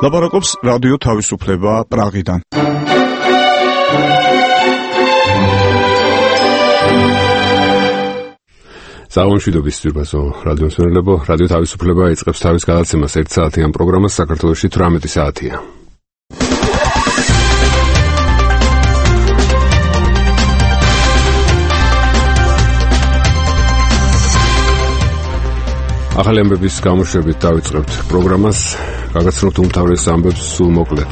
ლაპარაკობს რადიო თავისუფლება პრაღიდან. Საუბრობთ სიტყვასო რადიოსმენელებო, რადიო თავისუფლება იწყებს თავის გადაცემას 1 საათიან პროგრამას საქართველოში 18 საათია. ახალი ამბების გამოშვებით დავიწყებთ პროგრამას, გაგაცნობთ უმთავრეს ამბებს სულ მოკლედ.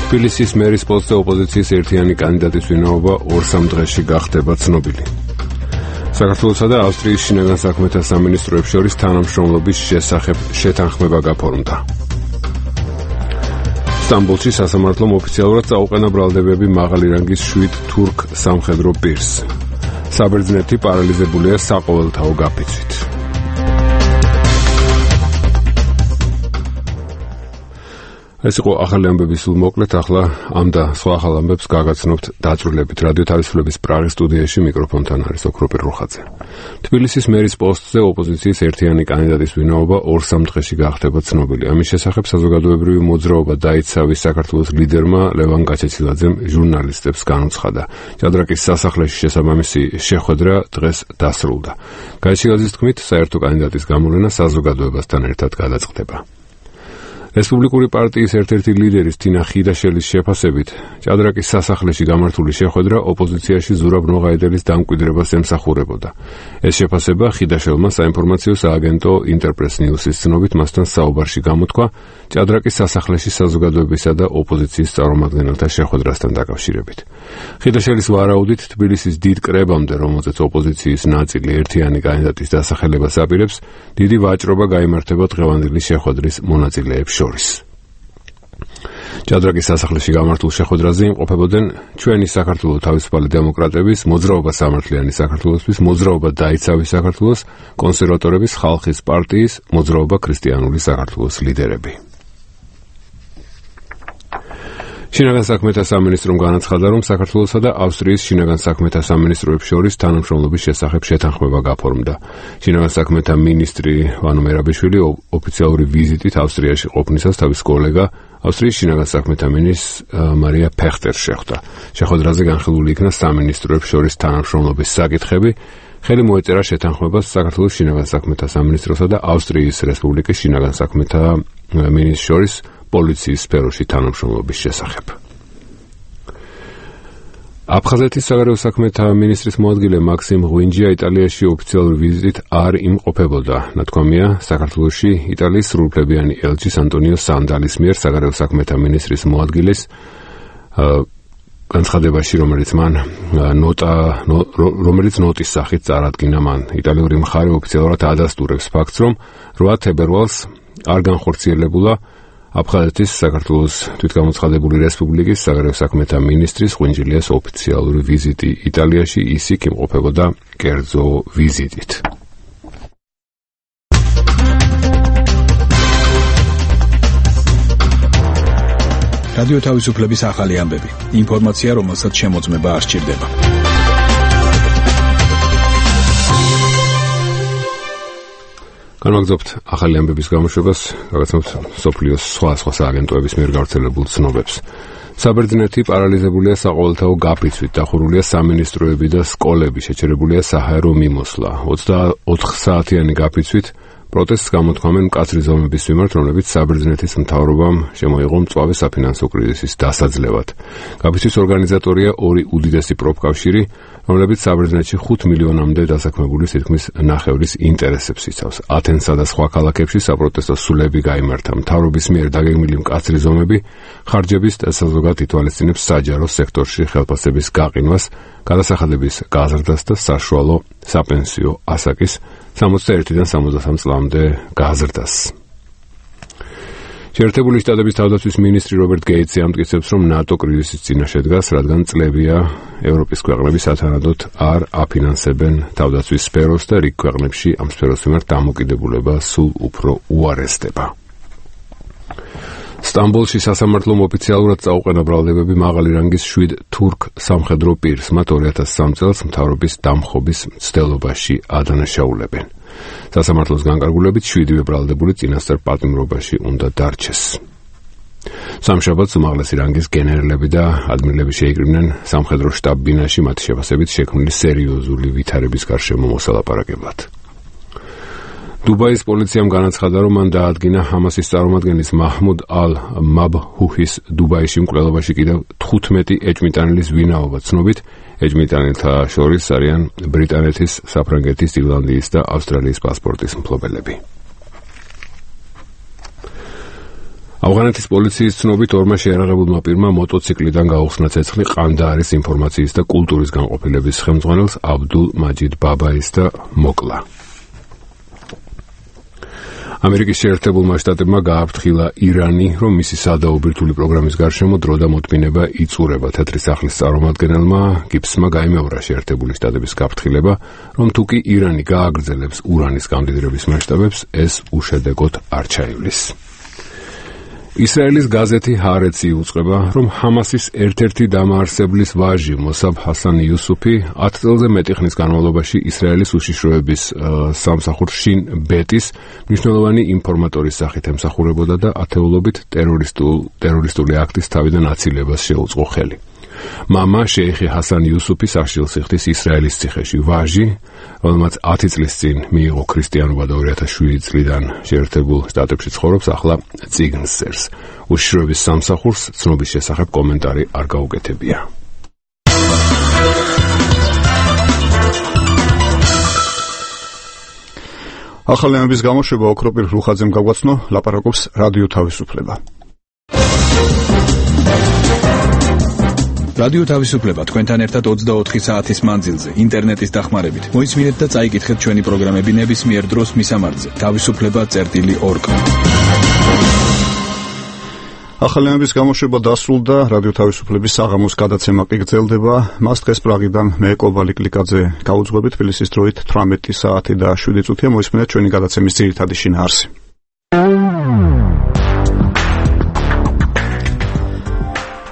თბილისის მერის პოსტზე ოპოზიციის ერთიანი კანდიდატის ვინაობა 2-3 დღეში გახდება ცნობილი. საქართველოსა და ავსტრიის შინაგან საქმეთა სამინისტროებს შორის თანამშრომლობის შესახებ შეთანხმება გაფორმდა. სტამბოლში სასამართლომ ოფიციალურად წაუყენა ბრალდებები მაღალი რანგის 7 თურქ სამხედრო პირს. საბერძნეთი პარალიზებულია საყოველთაო გაფიცვით. ეს იყო ახალი ამბები სულ მოკლედ, ახლა ამ და სხვა ახალ ამბებს გაგაცნობთ დაწვრილებით. რადიო თავისუფლების პრაღის სტუდიაში მიკროფონთან არის ოქროპირ რუხაძე. თბილისის მერის პოსტზე ოპოზიციის ერთიანი კანდიდატის ვინაობა 2-3 დღეში გახდება ცნობილი. ამის შესახებ საზოგადოებრივი მოძრაობა დაიცავის საქართველოს ლიდერმა ლევან გაჩეჩილაძემ ჟურნალისტებს განუცხადა. ჭადრაკის სასახლეში შესაბამისი შეხვედრა დღეს დასრულდა. გაჩეჩილაძის თქმით, საერთო კანდიდატის გამოვლენა საზოგადოებასთან ერთად გადაწყდება. რესპუბლიკური პარტიის ერთ-ერთი ლიდერის თინა ხიდაშელის შეფასებით, ჭადრაკის სასახლეში გამართული შეხვედრა ოპოზიციაში ზურაბ ნოღაედელის დამკვიდრებას ემსახურებოდა. ეს შეფასება ხიდაშელმა საინფორმაციო სააგენტო ინტერპრეს ნიუსის ცნობით მასთან საუბარში გამოთქვა ჭადრაკის სასახლეში საზოგადოებისა და ოპოზიციის წარმომადგენელთა შეხვედრასთან დაკავშირებით. ხიდაშელის ვარაუდით, თბილისის დიდ კრებამდე, რომელზეც ოპოზიციის ნაწილი ერთიანი კანდიდატის დასახელებას აპირებს, დიდი ვაჭრობა გაიმართება დღევანდელი შეხვედრის მონაწილეებს შორის. ჭადრაკის სასახლეში გამართულ შეხვედრაზე იმყოფებოდნენ ჩვენი საქართველოს თავისუფალი დემოკრატების, მოძრაობა სამართლიანი საქართველოსთვის, მოძრაობა დაიცავის საქართველოს, კონსერვატორების ხალხის პარტიის, მოძრაობა ქრისტიანული საქართველოს ლიდერები. შინაგან საქმეთა სამინისტრომ განაცხადა, რომ საქართველოსა და ავსტრიის შინაგან საქმეთა სამინისტროებს შორის თანამშრომლობის შესახებ შეთანხმება გაფორმდა. შინაგან საქმეთა მინისტრი ვანო მერაბიშვილი ოფიციალური ვიზიტით ავსტრიაში ყოფნისას თავის კოლეგა ავსტრიის შინაგან საქმეთა მინისტრს მარია ფეხტერს შეხვდა. შეხვედრაზე განხილული იქნა სამინისტროებს შორის თანამშრომლობის საკითხები. ხელი მოეწერა შეთანხმებას საქართველოს შინაგან საქმეთა სამინისტროსა და ავსტრიის რესპუბლიკის შინაგან საქმეთა მინისტრს შორის პოლიციის სფეროში თანამშრომლობის შესახებ. აფხაზეთის საგარეო საქმეთა მინისტრის მოადგილე მაქსიმ ღვინჯია იტალიაში ოფიციალური ვიზიტით არ იმყოფებოდა. ნათქვამია, საქართველოში იტალიის სრულუფლებიანი ელჩის ანტონიო სანდალის მიერ საგარეო საქმეთა მინისტრის მოადგილეს განცხადებაში, რომელიც ნოტის სახით წარადგინა მან. იტალიური მხარე ოფიციალურად ადასტურებს ფაქტს, რომ 8 თებერვალს არ განხორციელებულა აფხაზეთის საქართველოს თვითგამოცხადებული რესპუბლიკის საგარეო საქმეთა მინისტრის ღვინჯილიას ოფიციალური ვიზიტი იტალიაში, ის იქ იმყოფებოდა კერძო ვიზიტით. რადიო თავისუფლების ახალი ამბები. ინფორმაცია, რომელსაც შემოწმება არ სჭირდება. განვაგრძობთ ახალი ამბების გამოშვებას, გაგაცნობთ სოფლიოს სხვა სააგენტოების მიერ გავრცელებულ ცნობებს. საბერძნეთი პარალიზებულია საყოველთაო გაფიცვით, დახურულია სამინისტროები და სკოლები, შეჩერებულია საჰაერო მიმოსვლა. 24 საათიანი გაფიცვით პროტესტს გამოთქვამენ მკაცრი ზომების მიმართ, რომლებიც საბერძნეთის მთავრობამ შემოიღო მწვავე საფინანსო კრიზისის დასაძლევად. გაფიცვის ორგანიზატორია 2 უდიდესი პროფკავშირი, რომლებიც საბერძნეთში 5 მილიონამდე დასაქმებული თითქმის ნახევრის ინტერესებს იცავს. ათენსა და სხვა ქალაქებში საპროტესტო სულები გაიმართა. მთავრობის მიერ დაგეგმილი მკაცრი ზომები ხარჯების საზოგადოებრივ ითვალისწინებს საჯარო სექტორში ხელფასების გაყინვას, გადასახადების გაზრდას და საშუალო საპენსიო ასაკის 61-დან 63 წლამდე გაზრდას. შეერთებული შტატების თავდაცვის მინისტრი რობერტ გეიტსი ამტკიცებს, რომ ნატო კრიზისის წინაშე დგას, რადგან წლებია ევროპის ქვეყნები სათანადოდ არ აფინანსებენ თავდაცვის სფეროს და რიგ ქვეყნებში ამ სფეროს მიმართ დამოკიდებულება სულ უფრო უარესდება. სტამბოლში სასამართლომ ოფიციალურად წაუყენა ბრალდებები მაღალი რანგის 7 თურქ სამხედრო პირს, მათ 2003 წელს მთავრობის დამხობის მცდელობაში ადანაშაულებენ. სასამართლოს განკარგულებით 7 ბრალდებული წინასწარ პატიმრობაში უნდა დარჩეს. სამშაბათს უმაღლესი რანგის გენერლები და ადმირლები შეიკრიბნენ სამხედრო შტაბ-ბინაში მათი შეფასებით შექმნილი სერიოზული ვითარების გარშემო მოსალაპარაკებლად. დუბაის პოლიციამ განაცხადა, რომ მან დაადგინა ჰამასის წარმომადგენლის მაჰმუდ ალ-მაბჰუჰის დუბაიში მკვლელობაში კიდევ 15 ეჭვმიტანილის ვინაობა ცნობით. ეჭვმიტანილთა შორის არიან ბრიტანეთის, საფრანგეთის, ირლანდიის და ავსტრალიის პასპორტის მფლობელები. ავღანეთის პოლიციის ცნობით ორმა შეიარაღებულმა პირმა მოტოციკლიდან გაუხსნა ცეცხლი ყანდაარის ინფორმაციის და კულტურის განყოფილების ხელმძღვანელს აბდულ მაჯიდ ბაბაის და მოკლა. ამერიკის შეერთებულმა შტატებმა გააფრთხილა ირანი, რომ მისი სადაობირთული პროგრამის გარშემო დრო და მოთმინება იწურება. თეთრი სახლის წარმომადგენელმა გიბსმა გაიმეორა შეერთებული შტატების გაფრთხილება, რომ თუ კი ირანი გააგრძელებს ურანის გამდიდრების მასშტაბებს, ეს უშედეგოდ არ ჩაივლის. ისრაელის გაზეთი ჰარეცი უწყება, რომ ჰამასის ერთ-ერთი დამაარსებლის ვაჟი მოსაბ ჰასან იუსუფი 10 წელზე მეტი ხნის განმავლობაში ისრაელის უშიშროების სამსახურ შინ ბეტის მნიშვნელოვანი ინფორმატორის სახით ემსახურებოდა და ათეულობით ტერორისტული აქტის თავიდან აცილებას შეუწყო ხელი. მამა შეიხი ჰასან იუსუფი სახშილს იხდის ისრაელის ციხეში. ვაჟი, რომელმაც 10 წლის წინ მიიღო ქრისტიანობა და 2007 წლიდან შეერთებულ შტატებში ცხოვრობს, ახლა წიგნს წერს. უშიშროების სამსახურს ცნობის შესახებ კომენტარი არ გაუკეთებია. ახალი ამბის გამოშვება ოქროპირ რუხაძემ გაგვაცნო, ლაპარაკობს რადიო თავისუფლება. რადიო თავისუფლება თქვენთან ერთად 24 საათის მანძილზე ინტერნეტის დახმარებით. მოისმინეთ და წაიკითხეთ ჩვენი პროგრამები ნებისმიერ დროს მისამართზე თავისუფლება.org. ახალი ამბის გამოშვება დასრულდა, რადიო თავისუფლების საღამოს გადაცემა კი გრძელდება. მას დღეს პრაღიდან მე კობალი კლიკაძე გაუძღვებით, თბილისის დროით 18 საათი და 7 წუთია. მოისმინეთ ჩვენი გადაცემის ძირითადი შინაარსი.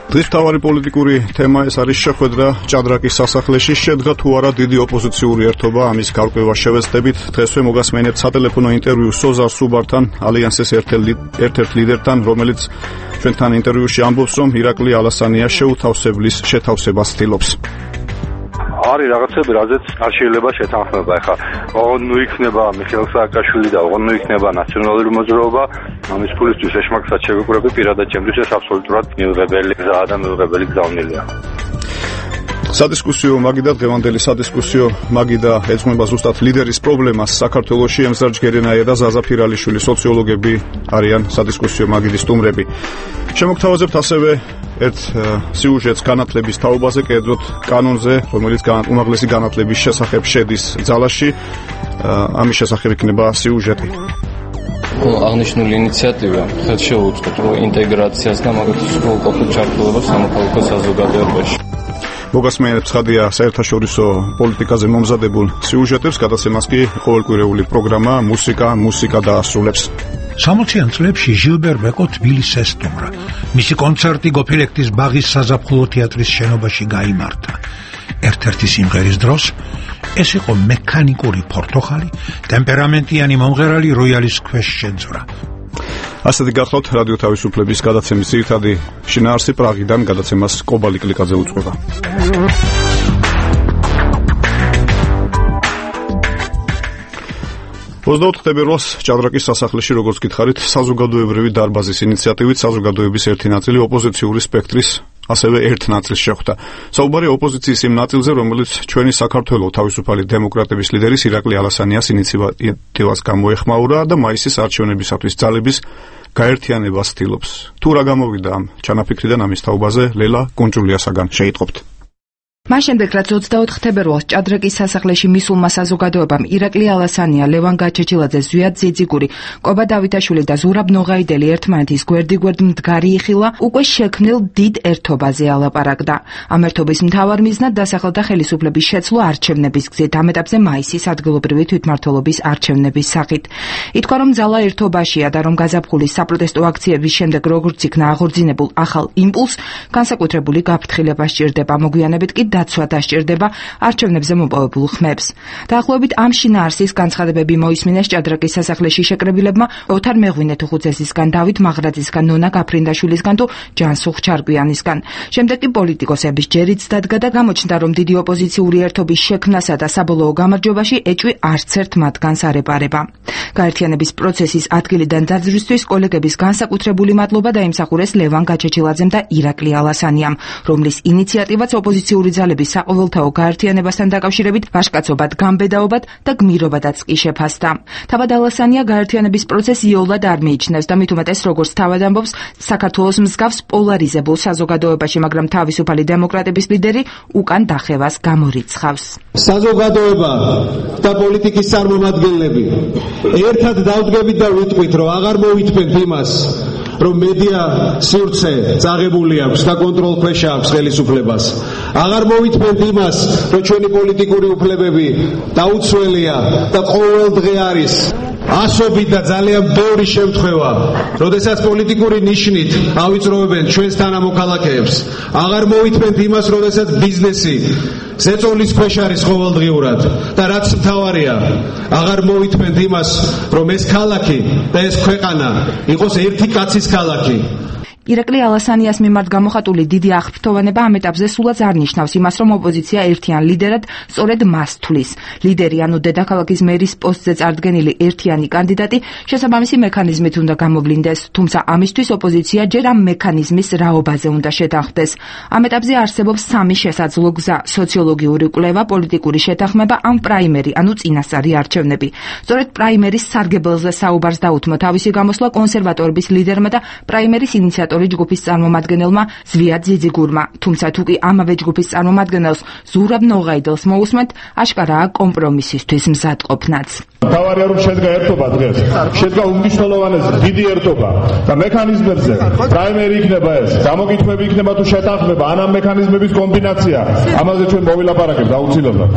დღის მთავარი პოლიტიკური თემა ეს არის შეხვედრა ჭადრაკის სასახლეში. შედგა თუ არა დიდი ოპოზიციური ერთობა, ამის გარკვევა შევეცდებით. დღესვე მოგასმენებთ სატელეფონო ინტერვიუ სოზარ სუბართან, ალიანსის ერთ-ერთ ლიდერთან, რომელიც ჩვენთან ინტერვიუში ამბობს, რომ ირაკლი ალასანია შეუთავსებლის შეთავსებას ცდილობს. არის რაღაცები, რაზეც არ შეიძლება შეთანხმება. ეხლა ოღონდ ნუ იქნება მიხეილ სააკაშვილი და ოღონდ ნუ იქნება ნაციონალური მოძრაობა. ამის ფულისთვის ეშმაკსაც შევიკვრები, პირადად ჩემთვის ეს აბსოლუტურად მიუღებელი გზაა და მიუღებელი გზავნილია. სადისკუსიო მაგიდა დღევანდელი სადისკუსიო მაგიდა ეძღვნება ზუსტად ლიდერის პრობლემას საქართველოში. ემზარ ჯგერენაია და ზაზა ფირალიშვილი სოციოლოგები არიან სადისკუსიო მაგიდის სტუმრები. შემოგთავაზებთ ასევე ერთ სიუჟეტს განათლების თაობაზე, კერძოდ კანონზე, რომელიც უმაღლესი განათლების შესახებ შედის ძალაში. ამის შესახებ იქნება სიუჟეტი. აღნიშნული ინიციატივა ხელ შეუწყოთ ინტეგრაციას და მაგათი სრულყოფილ ჩართულობას სამოქალაქო საზოგადოებაში. მოგასმენებთ ცხადია საერთაშორისო პოლიტიკაზე მომზადებულ სიუჟეტებს, გადაცემას კი ყოველკვირეული პროგრამა მუსიკა დაასრულებს. 60-იან წლებში ჟილბერ ბეკო თბილისს ესტუმრა. მისი კონცერტი გოფილექტის ბაღის საზაფხულო თეატრის შენობაში გაიმართა. ერთ-ერთი სიმღერის დროს ეს იყო მექანიკური ფორტოხალი, ტემპერამენტიანი მომღერალი როიალის ქვეშ შეძვრა. ასეთი გახლავთ რადიო თავისუფლების გადაცემის ძირითადი შინაარსი. პრაღიდან გადაცემას კობალი კლიკაძე უძღვება. 24 თებერვალს ჭადრაკის სასახლეში, როგორც გითხარით, საზოგადოებრივი დარბაზის ინიციატივით საზოგადოების ერთი ნაწილი ოპოზიციური სპექტრის ასევე ერთ ნაწილს შეხვდა. საუბარია ოპოზიციის იმ ნაწილზე, რომელიც ჩვენი საქართველოს თავისუფალი დემოკრატების ლიდერის ირაკლი ალასანიას ინიციატივას გამოეხმაურა და მაისის არჩევნებისათვის ძალების გაერთიანებას ცდილობს. თუ რა გამოვიდა ამ ჩანაფიქრიდან, ამის თაობაზე ლელა კუნჭულიასაგან შეიტყობთ. მას შემდეგ, რაც 24 თებერვალს ჭადრაკის სასახლეში მისულმა საზოგადოებამ ირაკლი ალასანია, ლევან გაჩეჩილაძე, ზვიად ძიძიგური, კობა დავითაშვილი და ზურაბ ნოღაიდელი ერთმანეთის გვერდ მდგარი იხილა, უკვე შექმნილ დიდ ერთობაზე ალაპარაკდა. ამ ერთობის მთავარ მიზნად დასახელდა ხელისუფლების შეცვლა არჩევნების გზით, ამ ეტაპზე მაისის ადგილობრივი თვითმმართველობის არჩევნების სახით. ითქვა, რომ ძალა ერთობაშია და რომ გაზაფხულის საპროტესტო აქციების შემდეგ როგორც იქნა აღორძინებულ ახალ იმპულს, განსაკუთრებული გაფრთხილება სჭირდება. მოგვიანებით კი დაცვა დასჭირდება არჩევნებზე მოპოვებულ ხმებს. დაახლოებით ამ შინაარსის განცხადებები მოისმინეს ჭადრაკის სასახლეში შეკრებილებმა ოთარ მეღვინე-თუხუცესისგან, დავით მაღრაძისგან, ნონა გაფრინდაშვილისგან თუ ჯანსუღ ჩარკვიანისგან. შემდეგ კი პოლიტიკოსების ჯერიც დადგა და გამოჩნდა, რომ დიდი ოპოზიციური ერთობის შექმნასა და საბოლოო გამარჯვებაში ეჭვი არც ერთ მათგანს არ ეპარება. გაერთიანების პროცესის ადგილიდან დაძვრისთვის კოლეგების განსაკუთრებული მადლობა დაიმსახურეს ლევან გაჩეჩილაძემ და ირაკლი ალასანიამ, რომლის ინიციატივაც ოპოზიციური ძალების საყოველთაო გაერთიანებასთან დაკავშირებით ვაჟკაცობად, გამბედაობად და გმირობადაც კი შეფასდა. თავად ალასანია გაერთიანების პროცესს იოლად არ მიიჩნევს და მით უმეტეს, როგორც თავად ამბობს, საქართველოს მსგავს პოლარიზებულ საზოგადოებაში, მაგრამ თავისუფალი დემოკრატების ლიდერი უკან დახევას გამორიცხავს. საზოგადოება და პოლიტიკის წარმომადგენლები ერთად დავდგებით და ვიტყვით, რომ აღარ მოვითმენთ იმას, რომ მედია სივრცე წაღებული აქვს და კონტროლ ქვეშ აქვს ხელისუფლებას. აღარ მოვითმენთ იმას, რომ ჩვენი პოლიტიკური უფლებები დაუცველია და ყოველდღე არის ასობით და ძალიან ბევრი შემთხვევა, როდესაც პოლიტიკური ნიშნით ავიწროვებენ ჩვენს თანამოქალაქეებს. აღარ მოვითმენთ იმას, როდესაც ბიზნესი ზეწოლის ქვეშ არის ყოველდღიურად და რაც მთავარია, აღარ მოვითმენთ იმას, რომ ეს ქალაქი და ეს ქვეყანა იყოს ერთი კაცის ქალაქი. ირაკლი ალასანიას მიმართ გამოხატული დიდი აღფრთოვანება ამ ეტაპზე სულაც არ ნიშნავს იმას, რომ ოპოზიცია ერთიან ლიდერად სწორედ მას თვლის. ლიდერი, ანუ დედაქალაქის მერის პოსტზე წარდგენილი ერთიანი კანდიდატი შესაბამისი მექანიზმით უნდა გამოვლინდეს, თუმცა ამისთვის ოპოზიცია ჯერ ამ მექანიზმის რაობაზე უნდა შეთანხმდეს. ამ ეტაპზე არსებობს სამი შესაძლო გზა: სოციოლოგიური კვლევა, პოლიტიკური შეთანხმება, ან პრაიმერი, ანუ წინასწარი არჩევნები. სწორედ პრაიმერის სარგებელზე საუბარს დაუთმო თავისი გამოსვლა კონსერვატორების ლიდერმა და პრაიმერის ინიციატორ ჯგუფის წარმომადგენელმა ზვიად ძიძიგურმა, თუმცა თუ კი ამავე ჯგუფის წარმომადგენელს ზურაბ ნოღაიდელს მოусმენთ, აშკარაა კომპრომისისთვის მზადყოფნაც. თავარია რომ შედგა ერთობა დღეს, შედგა უმნიშვნელოვანესი დიდი ერთობა და მექანიზმებზე პრაიმერი იქნება ეს, გამოკითხვები იქნება თუ შეთანხმება, ან ამ მექანიზმების კომბინაცია, ამაზე ჩვენ მოვილაპარაკებთ აუცილებლად.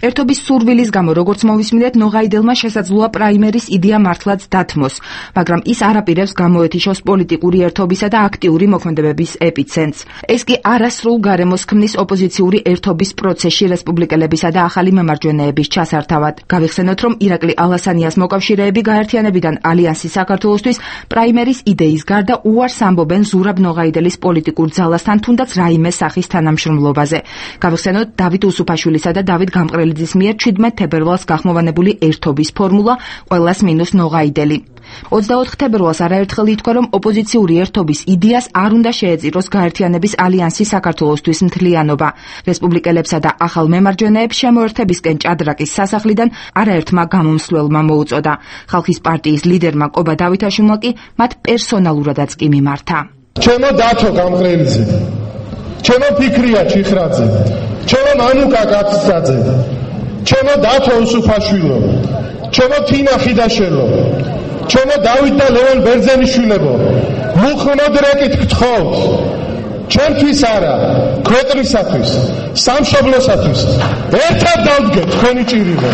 ერთობის სურვილის გამო, როგორც მოვისმინეთ, ნოღაიდელმა შესაძლოა პრაიმერის იდეა მართლაც დათმოს, მაგრამ ის არ აპირებს გამოეთიშოს პოლიტიკური ერთობისა და აქტიური მოქმედებების ეპიცენტრს. ეს კი არასრულ გარემოს ქმნის ოპოზიციური ერთობის პროცესში რესპუბლიკელებისა და ახალი მემარჯვენეების ჩასართავად. გავიხსენოთ, რომ ირაკლი ალასანიას მოკავშირეები გაერთიანებიდან ალიანსის საქართველოსთვის პრაიმერის იდეის გარდა უარს ამბობენ ზურაბ ნოღაიდელის პოლიტიკურ ძალასთან თუნდაც რაიმე სახის თანამშრომლობაზე. გავიხსენოთ დავით უსუფაშვილისა და დავით გამყრელიძის მიერ 17 თებერვალს გახმოვანებული ერთობის ფორმულა ყველას მინუს ნოღაიდელი. 24 თებერვალს არაერთხელ ითქვა, რომ ოპოზიციური ერთობის იდეას არ უნდა შეეწიროს გაერთიანების ალიანსის საქართველოსთვის მთლიანობა. რესპუბლიკელებსა და ახალ მემარჯვენეებს შემოერთებისკენ ჭადრაკის სასახლიდან არაერთმა გამომსვლელმა მოუწოდა. ხალხის პარტიის ლიდერმა კობა დავითაშვილმა კი მათ პერსონალურადაც კი მიმართა. ჩემო დათო გამყრელიძე, ჩემო ფიქრია ჩიხრაძე, ჩემო მანუკა კაცსაძე, ჩემო დათო უსუფაშვილო, ჩემო თინა ხიდაშელო, ჩემო დავით და ლევან ბერძენიშვილებო, მუხმოდ რეკით გთხოვთ, ჩვენთვის არა, ქვეყნისათვის, სამშობლოსათვის, ერთად დავდგეთ თქვენი ჭირიმე.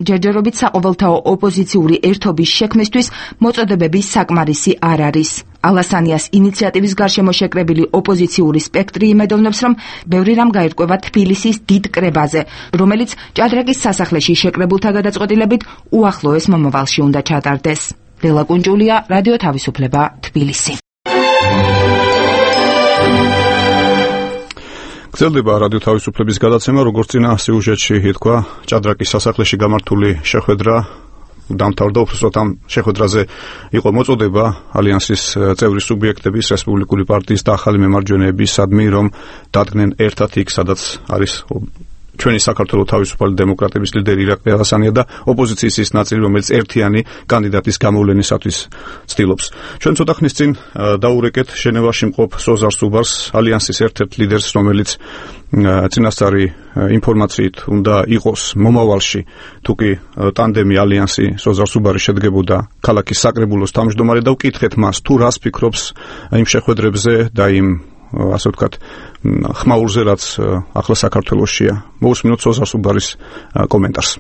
ჯერჯერობით საყოველთაო ოპოზიციური ერთობის შექმნისთვის მოწოდებების საკმარისი არ არის. ალასანიას ინიციატივის გარშემო შეკრებილი ოპოზიციური სპექტრი იმედოვნებს, რომ ბევრი რამ გაირკვევა თბილისის დიდ კრებაზე, რომელიც ჭადრაკის სასახლეში შეკრებულთა გადაწყვეტილებით უახლოეს მომავალში უნდა ჩატარდეს. ლელა კუნჯულია, რადიო თავისუფლება, თბილისი. გრძელდება რადიო თავისუფლების გადაცემა, როგორც წინა სიუჟეტში ითქვა, ჭადრაკის სასახლეში გამართული შეხვედრა დამთავრდა. უბრალოდ ამ შეხვედრაზე იყო მოწოდება ალიანსის წევრი სუბიექტების, რესპუბლიკური პარტიის და ახალი მემარჯვენეების სადმი, რომ დადგნენ ერთად იქ, სადაც არის ჩვენი საქართველოს თავისუფალი დემოკრატების ლიდერი ირაკლი ალასანია და ოპოზიციის ის ნაწილი, რომელიც ერთიანი კანდიდატის გამოვლენისათვის ცდილობს. ჩვენ ცოტა ხნის წინ დაურეკეთ ჟენევაში მყოფ სოზარ სუბარს, ალიანსის ერთ-ერთ ლიდერს, რომელიც წინასწარი ინფორმაციით უნდა იყოს მომავალში, თუკი ტანდემი ალიანსი სოზარ სუბარი შედგებოდა ქალაქის საკრებულოს თავმჯდომარე და ვკითხეთ მას, თუ რას ფიქრობს იმ შეხვედრებზე და იმ ასე ვთქვათ, ხმაურზე, რაც ახლა საქართველოშია. მოусმინოთ სოზარ სუბარის კომენტარს.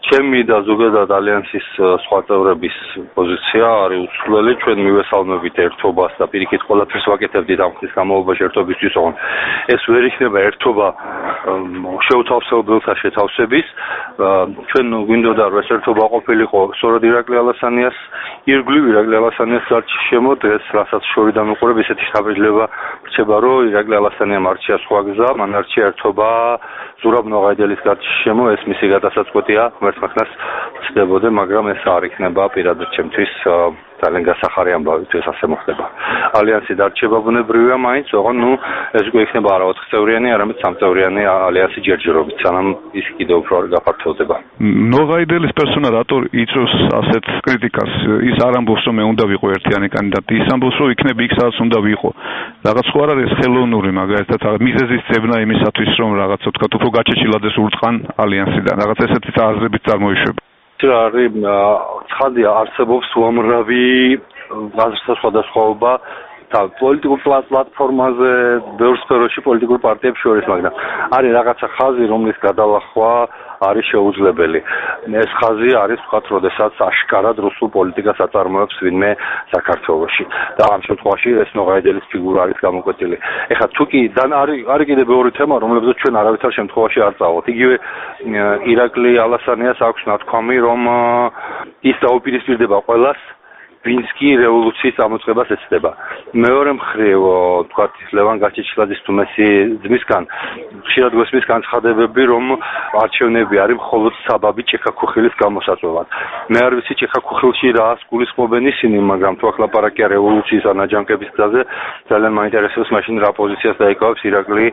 ჩემი და ზოგადად ალიანსის სხვა წევრების პოზიცია არის უცვლელი. ჩვენ მივესალმებით ერთობას და პირიქით ყველაფერს ვაკეთებდით ამ ხნის განმავლობაში ერთობისთვის, ოღონდ ეს ვერ იქნება ერთობა შეუთავსებელთა შეთავსების. ჩვენ გვინდოდა რომ ეს ერთობა ყოფილიყო სწორედ ირაკლი ალასანიას ირგვლივ, ირაკლი ალასანიას გარშემო. დღეს რასაც შორიდან უყურებ, ესეთი შთაბეჭდილება რჩება, რომ ირაკლი ალასანიამ არჩია სხვა გზა, მან არჩია ერთობა ზურაბ ნოღაიდელის გარშემო. ეს მისი გადასაწყვეტია მერცხნას ცდებოდა, მაგრამ ეს არ იქნება პირადად ჩემთვის ძალიან გასახარი ამბავი, თუ ეს ასე მოხდება. ალიანსი დარჩება ბუნებრივია მაინც, ოღონდ ეს უკვე იქნება არა 4 წევრიანი, არამედ 3 წევრიანი ალიანსი ჯერჯერობით, სანამ ის კიდევ უფრო არ გაფართოვდება. ნოღაიდელის პერსონა რატო იწვევს ასეთ კრიტიკას? ის არ ამბობს, რომ მე უნდა ვიყო ერთიანი კანდიდატი, ის ამბობს, რომ იქნები იქ სადაც უნდა ვიყო. რაღაც ხო არ არის ხელოვნური, მაგალითად, მიზეზის ძებნა იმისათვის, რომ რაღაცა თქვა, უფრო გაჩეჩილადეს ურწყან ალიანსიდან. რაღაც ესეთი აზრებით წარმოიშვება. არის ცხადია, არსებობს უამრავი აზრთა სხვადასხვაობა და პოლიტიკურ პლატფორმაზე, ბევრ სფეროში პოლიტიკურ პარტიებს შორის, მაგრამ არის რაღაცა ხაზი, რომლის გადალახვა არის შეუძლებელი. ეს ხაზი არის ვთქვათ, როდესაც აშკარად რუსულ პოლიტიკას აწარმოებს ვინმე საქართველოში. და ამ შემთხვევაში ეს ნოღაიდელის ფიგურა არის გამოკვეთილი. ეხლა თუ კი არის კიდევ ბევრი თემა, რომლებზეც ჩვენ არავითარ შემთხვევაში არ წავთ. იგივე ირაკლი ალასანიას აქვს ნათქვამი, რომ ის დაუპირისპირდება ყველას, ვინც კი რევოლუციის წამოწყებას ეცდება. მეორე მხრივ, ვთქვათ, ლევან გაჩეჩილაძის თუმესი ძმისგან ხშირად გვესმის განცხადებები, რომ არჩევნები არის მხოლოდ საბაბი ჭექა-ქუხილის გამოსაწვევად. მე არ ვიცი ჭექა-ქუხილში რას გულისხმობენ ისინი, მაგრამ თუ ახლა პარაკია რევოლუციის ან აჯანყების გზაზე, ძალიან მაინტერესებს მაშინ რა პოზიციას დაიკავებს ირაკლი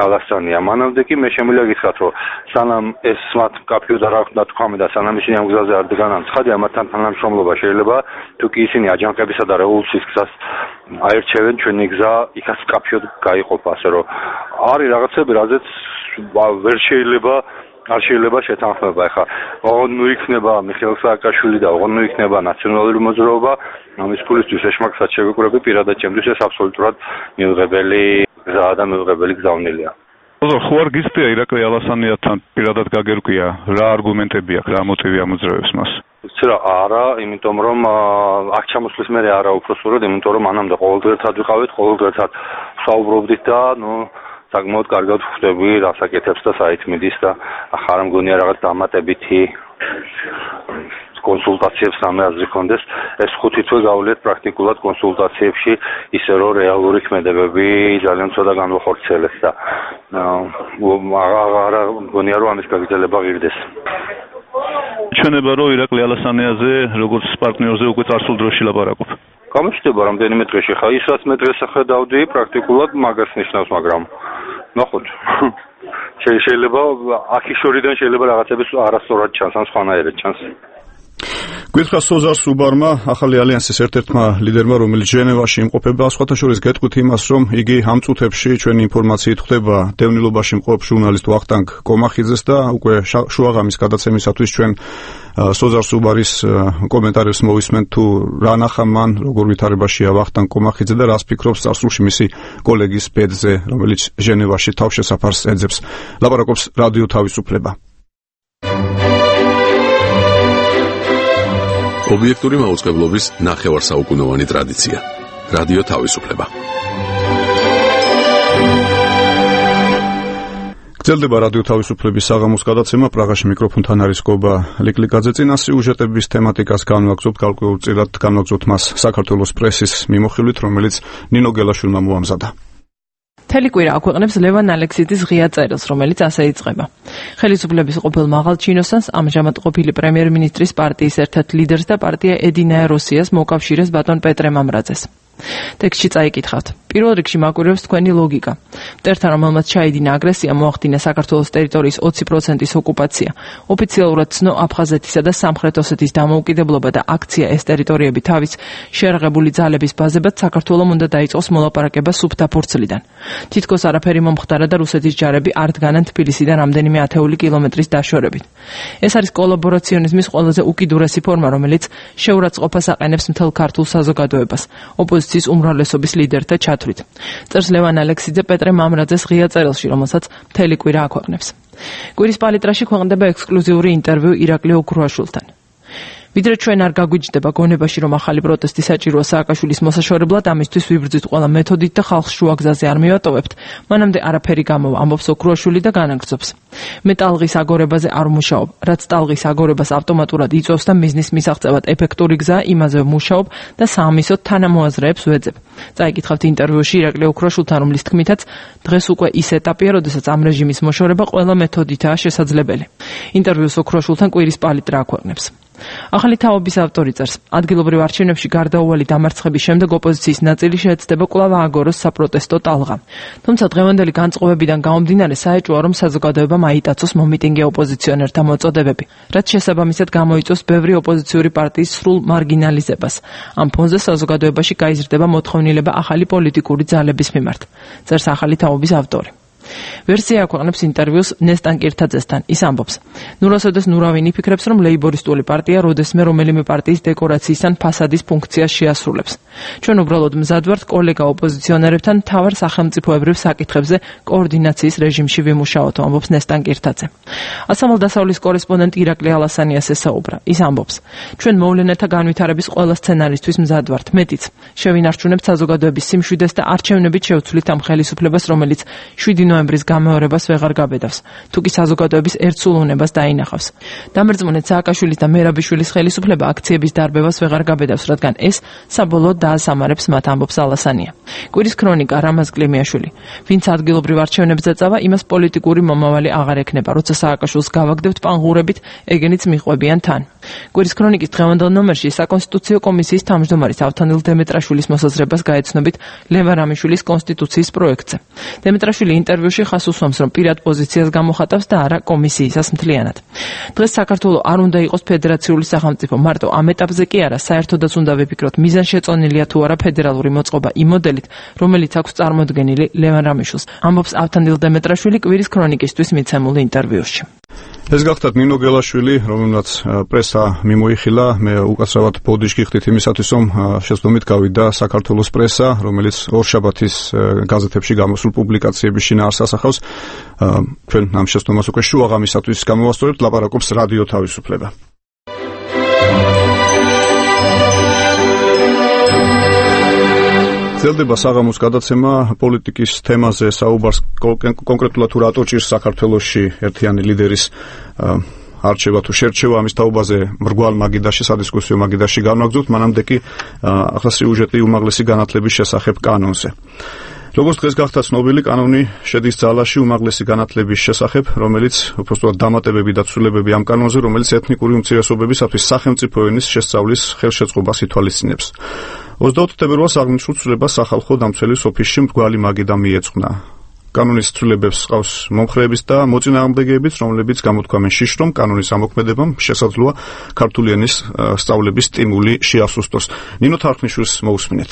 ალასანია. მანამდე კი მე შემიძლია გითხრათ, რომ სანამ ეს მათ მკაფიო და რა უნდა თქვამი და სანამ ისინი ამ გზაზე არ დგანან, ცხადია მათთან თანამშრომლობა შეიძლება, თუ კი ისინი აჯანყებისა და რევოლუციის გზას აერჩევენ, ჩვენი გზა იქაც მკაფიოდ გაიყოფა, ასე რომ არის რაღაცები, რაზეც ვერ შეიძლება არ შეიძლება შეთანხმება. ეხლა ოღონდ ნუ იქნება მიხეილ სააკაშვილი და ოღონდ ნუ იქნება ნაციონალური მოძრაობა, ამის ფულისთვის ეშმაკსაც შევიკვრები, პირადად ჩემთვის ეს აბსოლუტურად მიუღებელი გზაა და მიუღებელი გზავნილია. ხო არ გიცდია ირაკლი ალასანიასთან პირადად გაგერკვია, რა არგუმენტები აქვს, რა მოტივი ამოძრავებს მას? ცირა არა, იმიტომ რომ აქ ჩამოსვლის მერე არა უფრო სწორად, იმიტომ რომ მანამდე ყოველდღე ერთად ვიყავით, ყოველდღე ერთად ვსაუბრობდით და საკმაოდ კარგად ვხვდები რას აკეთებს და საით მიდის და ახლა არ მგონია რაღაც დამატებითი კონსულტაციებს რამე აზრი ქონდეს. ეს 5 თვე გავლიეთ პრაქტიკულად კონსულტაციებში, ისე რომ რეალური ქმედებები ძალიან ცოტა განვახორციელეს და არა მგონია რომ ამის გაგრძელება ღირდეს. ჩვენება რომ ირაკლი ალასანიაზე როგორც პარტნიორზე უკვე წარსულ დროში ლაპარაკობ. გამოჩნდება რამდენიმე დღეში, ხა ის რაც მე დღეს ახედავდი, პრაქტიკულად მაგას ნიშნავს, მაგრამ ნახოთ. შეიძლება აქის შორიდან შეიძლება რაღაცების არასწორად ჩანს, ან სხვანაირად ჩანს. გითხრა სოზარ სუბარმა, ახალი ალიანსის ერთ-ერთმა ლიდერმა, რომელიც ჟენევაში იმყოფება, სხვათა შორის გეტყვით იმას, რომ იგი ამ წუთებში ჩვენი ინფორმაციით ხვდება დევნილობაში მყოფ ჟურნალისტ ვახტანგ კომახიძეს და უკვე შუაღამის გადაცემისათვის ჩვენ სოზარ სუბარის კომენტარებს მოვისმენთ, თუ რა ნახა მან, როგორ ვითარებაშია ვახტანგ კომახიძე და რას ფიქრობს წარსულში მისი კოლეგის ბედზე, რომელიც ჟენევაში თავშესაფარს ეძებს. ლაპარაკობს რადიო თავისუფლება. ობიექტური მაუწყებლობის ნახევარსაუკუნოვანი ტრადიცია. რადიო თავისუფლება. გრძელდება რადიო თავისუფლების საღამოს გადაცემა. პრაღაში მიკროფონთან არის გობა ლიკლიკაძე. წინა სიუჟეტების თემატიკას განვაგრძობთ, გარკვეულწილად განვაგრძობთ მას საქართველოს პრესის მიმოხილვით, რომელიც ნინო გელაშვილმა მოამზადა. მთელი კვირა აქვეყნებს ლევან ალექსიძის ღია წერილს, რომელიც ასე იწყება. ხელისუფლების ყოფილ მაღალჩინოსანს, ამჟამად ყოფილი პრემიერ-მინისტრის პარტიის ერთ-ერთ ლიდერს და პარტია ედინაე როსიას მოკავშირეს ბატონ პეტრე მამრაძეს. ტექსტში წაიკითხავთ. პირველ რიგში მაკვირვებს თქვენი ლოგიკა. მტერთან, რომელმაც ჩაიდინა აგრესია, მოახდინა საქართველოს ტერიტორიის 20%-ის ოკუპაცია. ოფიციალურად ცნო აფხაზეთისა და სამხრეთ ოსეთის დამოუკიდებლობა და აქცია ეს ტერიტორიები თავის შეერაღებული ძალების ბაზებად საქართველომ უნდა დაიწყოს მოლაპარაკება სუფთა ფურცლიდან. თითქოს არაფერი მომხდარა და რუსეთის ჯარები არ დგანან თბილისიდან რამდენიმე ათეული კილომეტრის დაშორებით. ეს არის კოლაბორაციონიზმის ყველაზე უკიდურესი ფორმა, რომელიც შეურაცხყოფას აყენებს მთელ ქართულ საზოგადოებას, ოპოზიციის უმრავლესობის ლიდერთა ჩათვლით. წერს ლევან ალექსიძე პეტრე მამრაძეს ღია წერილში, რომელსაც მთელი კვირა აქვეყნებს. კვირის პალიტრაში ქვეყნდება ექსკლუზიური ინტერვიუ ირაკლი ოქრუაშვილთან. ვიდრე ჩვენ არ გაგვიჯდება გონებაში, რომ ახალი პროტესტი საჭიროა სააკაშვილის მოსაშორებლად, ამისთვის ვიბრძვით ყველა მეთოდით და ხალხს შუა გზაზე არ მივატოვებთ. მანამდე არაფერი გამოვა, ამბობს ოქრუაშვილი და განაგრძობს. მე ტალღის აგორებაზე არ მუშაობ, რაც ტალღის აგორებას ავტომატურად იწვევს და მიზნის მისაღწევად ეფექტური გზაა, იმაზე ვმუშაობ და საამისოდ თანამოაზრეებს ვეძებ. წაიკითხავთ ინტერვიუში ირაკლი ოქრუაშვილთან, რომლის თქმითაც დღეს უკვე ის ეტაპია, როდესაც ამ რეჟიმის მოშორება ყველა მეთოდითაა შესაძლებელი. ინტერვიუს ოქრუაშვილთან კვირის პალიტრა აქვეყნებს. ახალი თაობის ავტორი წერს, ადგილობრივ არჩევნებში გარდაუვალი დამარცხების შემდეგ ოპოზიციის ნაწილი შეეცდება კვლავ ააგოროს საპროტესტო ტალღა. თუმცა დღევანდელი განწყობებიდან გამომდინარე საეჭვოა, რომ საზოგადოებამ აიტაცოს მომიტინგე ოპოზიციონერთა მოწოდებები, რაც შესაბამისად გამოიწვევს ბევრი ოპოზიციური პარტიის სრულ მარგინალიზებას. ამ ფონზე საზოგადოებაში გაიზრდება მოთხოვნილება ახალი პოლიტიკური ძალების მიმართ, წერს ახალი თაობის ავტორი. ვერსია აქვეყნებს ინტერვიუს ნესტან კირთაძესთან. ის ამბობს, ნურასოდეს ნურავინი ფიქრებს, რომ ლეიბორისტული პარტია როდესმე რომელიმე პარტიის დეკორაციის ან ფასადის ფუნქციას შეასრულებს. ჩვენ უბრალოდ მზად ვართ კოლეგა ოპოზიციონერებთან მთავარ სახელმწიფოებრივ საკითხებზე კოორდინაციის რეჟიმში ვიმუშაოთ, ამბობს ნესტან კირთაძე. ასამალ დასავლის კორესპონდენტი ირაკლი ალასანიას ესაუბრა. ის ამბობს, ჩვენ მოვლენათა განვითარების ყველა სცენარისთვის მზად ვართ, მეტიც. შევინარჩუნებთ საზოგადოების სიმშვიდეს და არჩევნებით შევცვლით ამ ხელისუფლებას, რომელიც 7 ნოემბრის გამეორებას ვეღარ გაბედავს, თუ კი საზოგადოების ერთსულოვნებას დაინახავს. დამერწმუნეთ სააკაშვილის და მერაბიშვილის ხელისუფლება აქციების დარბევას ვეღარ გაბედავს, რადგან ეს საბოლოოდ დაასამარებს მათ, ამბობს ალასანია. კვირის ქრონიკა რამაზ კლიმიაშვილი. ვინც ადგილობრივ არჩევნებზე წავა, იმას პოლიტიკური მომავალი აღარ ექნება, როცა სააკაშვილს გავაგდებთ პანღურებით, ეგენიც მიყვებიან თან. კვირის ქრონიკის დღევანდელ ნომერში საკონსტიტუციო კომისიის თავმჯდომარის ავთანდილ დემეტრაშვილის მოსაზრებას გაეცნობით ლევან რამიშვილის კონსტიტუციის პროექტზე. დემეტრაშვილი ინტერვიუში ხას უსვამს, რომ პირად პოზიციას გამოხატავს და არა კომისიისას მთლიანად. დღეს საქართველო არ უნდა იყოს ფედერაციული სახელმწიფო, მარტო ამ ეტაპზე კი არა, საერთოდაც უნდა ვიფიქროთ, მიზანშეწონილია თუ არა ფედერალური მოწყობა იმ მოდელით, რომელიც აქვს წარმოდგენილი ლევან რამიშვილს, ამბობს ავთანდილ დემეტრაშვილი კვირის ქრონიკისთვის მიცემულ ინტერვიუში. ეს გახდათ ნინო გელაშვილი, რომელმაც პრესა მიმოიხილა. მე უკაცრავად ბოდიშ გიხდით იმისათვის, რომ შეცდომით გავიდა საქართველოს პრესა, რომელიც ორშაბათის გაზეთებში გამოსულ პუბლიკაციების შინაარსს ასახავს. ჩვენ ამ შეცდომას უკვე შუაღამისათვის გამოვასწორებთ, ლაპარაკობს რადიო თავისუფლება. ძლდება საღამოს გადაცემა პოლიტიკის თემაზე საუბარს კონკრეტულად თუ რატო ჭირს საქართველოში ერთიანი ლიდერის არჩევა თუ შერჩევა, ამის თაობაზე მრგვალ მაგიდაში სადისკუსიო მაგიდაში განვაგრძობთ, მანამდე კი ახლა სიუჟეტი უმაღლესი განათლების შესახებ კანონზე. როგორც დღეს გახდა ცნობილი, კანონი შედის ძალაში უმაღლესი განათლების შესახებ, რომელიც უბრალოდ დამატებები და ცვლილებები ამ კანონზე, რომელიც ეთნიკური უმცირესობებისათვის სახელმწიფო ენის შესწავლის ხელშეწყობას ითვალისწინებს. 24 თებერვალს აღნიშნულ ცვლილებას სახალხო დამცველის ოფისში მრგვალი მაგიდა მიეძღვნა. კანონის ცვლილებებს ყავს მომხრეების და მოწინააღმდეგეებიც, რომლებიც გამოთქვამენ შიშს, რომ კანონის ამოქმედებამ შესაძლოა ქართული ენის სწავლების სტიმული შეასუსტოს. ნინო თარხნიშვილს მოусმინეთ.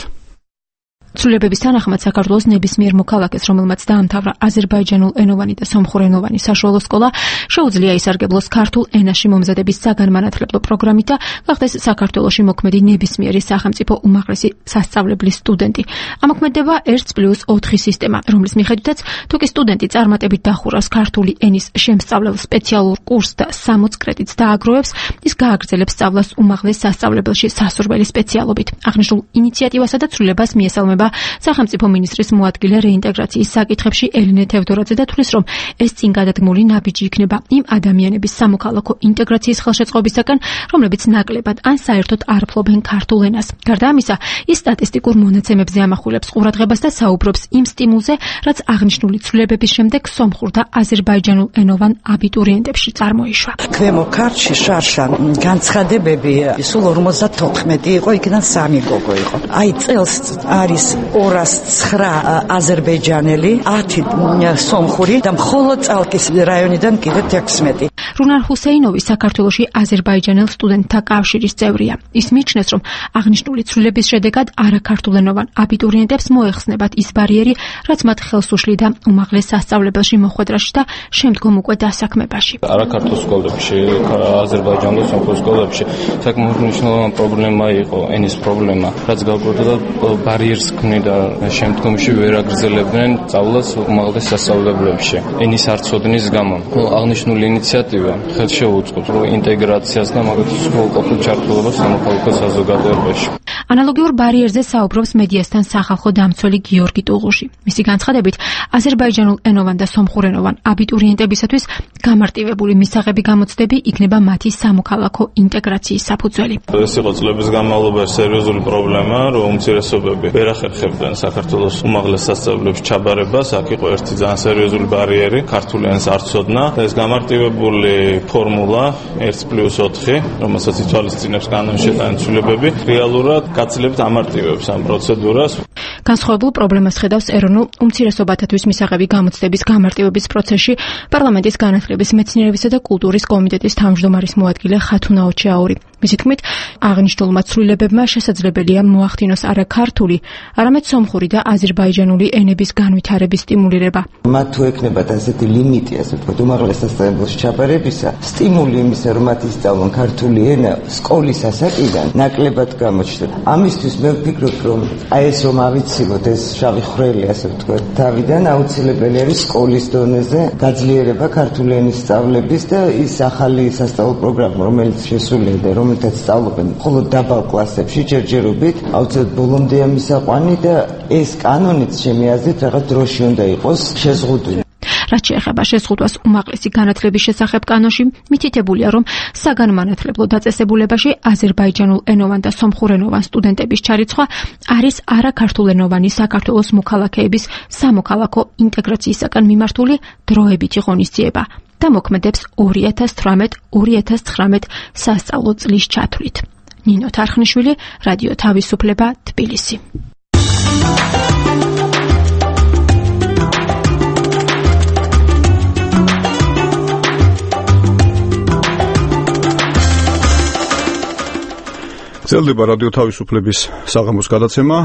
ცვლილებების თანახმად საქართველოს ნებისმიერ მოქალაქეს, რომელმაც დაამთავრა აზერბაიჯანულ ენოვანი და სომხურენოვანი საშუალო სკოლა, შეუძლია ისარგებლოს ქართულ ენაში მომზადების საგანმანათლებლო პროგრამით და გახდეს საქართველოში მოქმედი ნებისმიერი სახელმწიფო უმაღლესი სასწავლებლის სტუდენტი. ამოქმედება 1+4 სისტემა, რომლის მიხედვითაც თუ კი სტუდენტი წარმატებით დახურავს ქართული ენის შემსწავლელ სპეციალურ კურსს და 60 კრედიტს დააგროვებს, ის გააგრძელებს სწავლას უმაღლეს სასწავლებელში სასურველი სპეციალობით. აღნიშნულ ინიციატივასა და ცვლილებას მიესალმება სახელმწიფო მინისტრის მოადგილე რეინტეგრაციის საკითხებში ელინე თევდორაძე და თვლის, რომ ეს წინ გადადგმული ნაბიჯი იქნება იმ ადამიანების სამოქალაქო ინტეგრაციის ხელშეწყობისაგან, რომლებიც ნაკლებად ან საერთოდ არ ფლობენ ქართულ ენას. გარდა ამისა, ის სტატისტიკურ მონაცემებზე ამახვილებს ყურადღებას და საუბრობს იმ სტიმულზე, რაც აღნიშნული ცვლილებების შემდეგ სომხურ და აზერბაიჯანულ ენოვან აბიტურიენტებში წარმოიშვა. ქვემო ქართლში შარშან განცხადებები სულ 54 იყო, იქიდან 3 გოგო იყო. აი წელს არის 209 აზერბაიჯანელი, 10 სომხური და მხოლოდ წალკის რაიონიდან კიდევ 16. რუნარ ჰუსეინოვი საქართველოში აზერბაიჯანელ სტუდენტთა კავშირის წევრია. ის მიიჩნევს, რომ აღნიშნული ცვლილების შედეგად არაქართულენოვან აბიტურიენტებს მოეხსნებათ ის ბარიერი, რაც მათ ხელს უშლიდა უმაღლეს სასწავლებელში მოხვედრაში და შემდგომ უკვე დასაქმებაში. არაქართულ სკოლებში, აზერბაიჯანულ სომხურ სკოლებში საკმაოდ მნიშვნელოვანი პრობლემა იყო ენის პრობლემა, რაც გავგრძელდა ბარიერს ქმნიდა შემდგომში ვერ აგრძელებდნენ სწავლას უმაღლეს სასწავლებლებში. ენის არცოდნის გამო აღნიშნული ინიციატივა ხელს შეუწყობს ინტეგრაციას და მაგალითად სრულყოფილ ჩართულობას სამოქალაქო საზოგადოებაში. ანალოგიურ ბარიერზე საუბრობს მედიასთან სახალხო დამცველი გიორგი ტუღუში. მისი განცხადებით, აზერბაიჯანულ ენოვან და სომხურენოვან აბიტურიენტებისათვის გამარტივებული მისაღები გამოცდები იქნება მათი სამოქალაქო ინტეგრაციის საფუძველი. ეს იყო წლების განმავლობაში სერიოზული პრობლემა, რომ უმცირესობები ვერ ახერხებდნენ საქართველოს უმაღლეს სასწავლებლებში ჩაბარებას. აქ იყო ერთი ძალიან სერიოზული ბარიერი, ქართული ენის არ ცოდნა. ეს გამარტივებული ფორმულა 1+4, რომელსაც ითვალისწინებს კანონის შეტანის ცვლილებები, რეალურად გაცილებით ამარტივებს ამ პროცედურას. განსხვავებულ პრობლემას ხედავს ეროვნულ უმცირესობათათვის მისაღები გამოცდების გამარტივების პროცესში პარლამენტის განათლების, მეცნიერებისა და კულტურის კომიტეტის თავმჯდომარის მოადგილე ხათუნა ოჩაური. მისი თქმით, აღნიშნულმა ცვლილებებმა შესაძლებელია მოახდინოს არა ქართული, არამედ სომხური და აზერბაიჯანული ენების განვითარების სტიმულირება. მათ თუ ექნებათ ასეთი ლიმიტი, ასე ვთქვათ, უმაღლეს სასწავლებელში ჩაბარებისა, სტიმული იმისა, რომ მათ ისწავლონ ქართული ენა სკოლის ასაკიდან, ნაკლებად გამოჩნდა. ამისთვის მე ვფიქრობ, რომ აი ეს რომ ავიცილოთ ეს შავი ხვრელი, ასე ვთქვათ, თავიდან აუცილებელი არის სკოლის დონეზე გაძლიერება ქართული ენის სწავლების და ის ახალი სასწავლო პროგრამა, რომელიც შესულია და რომელთაც სწავლობენ მხოლოდ დაბალ კლასებში ჯერჯერობით, აუცილებლად ბოლომდე მისაყვანი და ეს კანონიც ჩემი აზრით რაღაც დროში უნდა იყოს შეზღუდული. რაც შეეხება შეზღუდვას უმაღლესი განათლების შესახებ კანონში, მითითებულია, რომ საგანმანათლებლო დაწესებულებაში აზერბაიჯანულ ენოვან და სომხურენოვან სტუდენტების ჩარიცხვა არის არაქართულენოვანი საქართველოს მოქალაქეების სამოქალაქო ინტეგრაციისაგან მიმართული დროებითი ღონისძიება და მოქმედებს 2018-2019 სასწავლო წლის ჩათვლით. ნინო თარხნიშვილი, რადიო თავისუფლება, თბილისი. გრძელდება რადიო თავისუფლების საღამოს გადაცემა.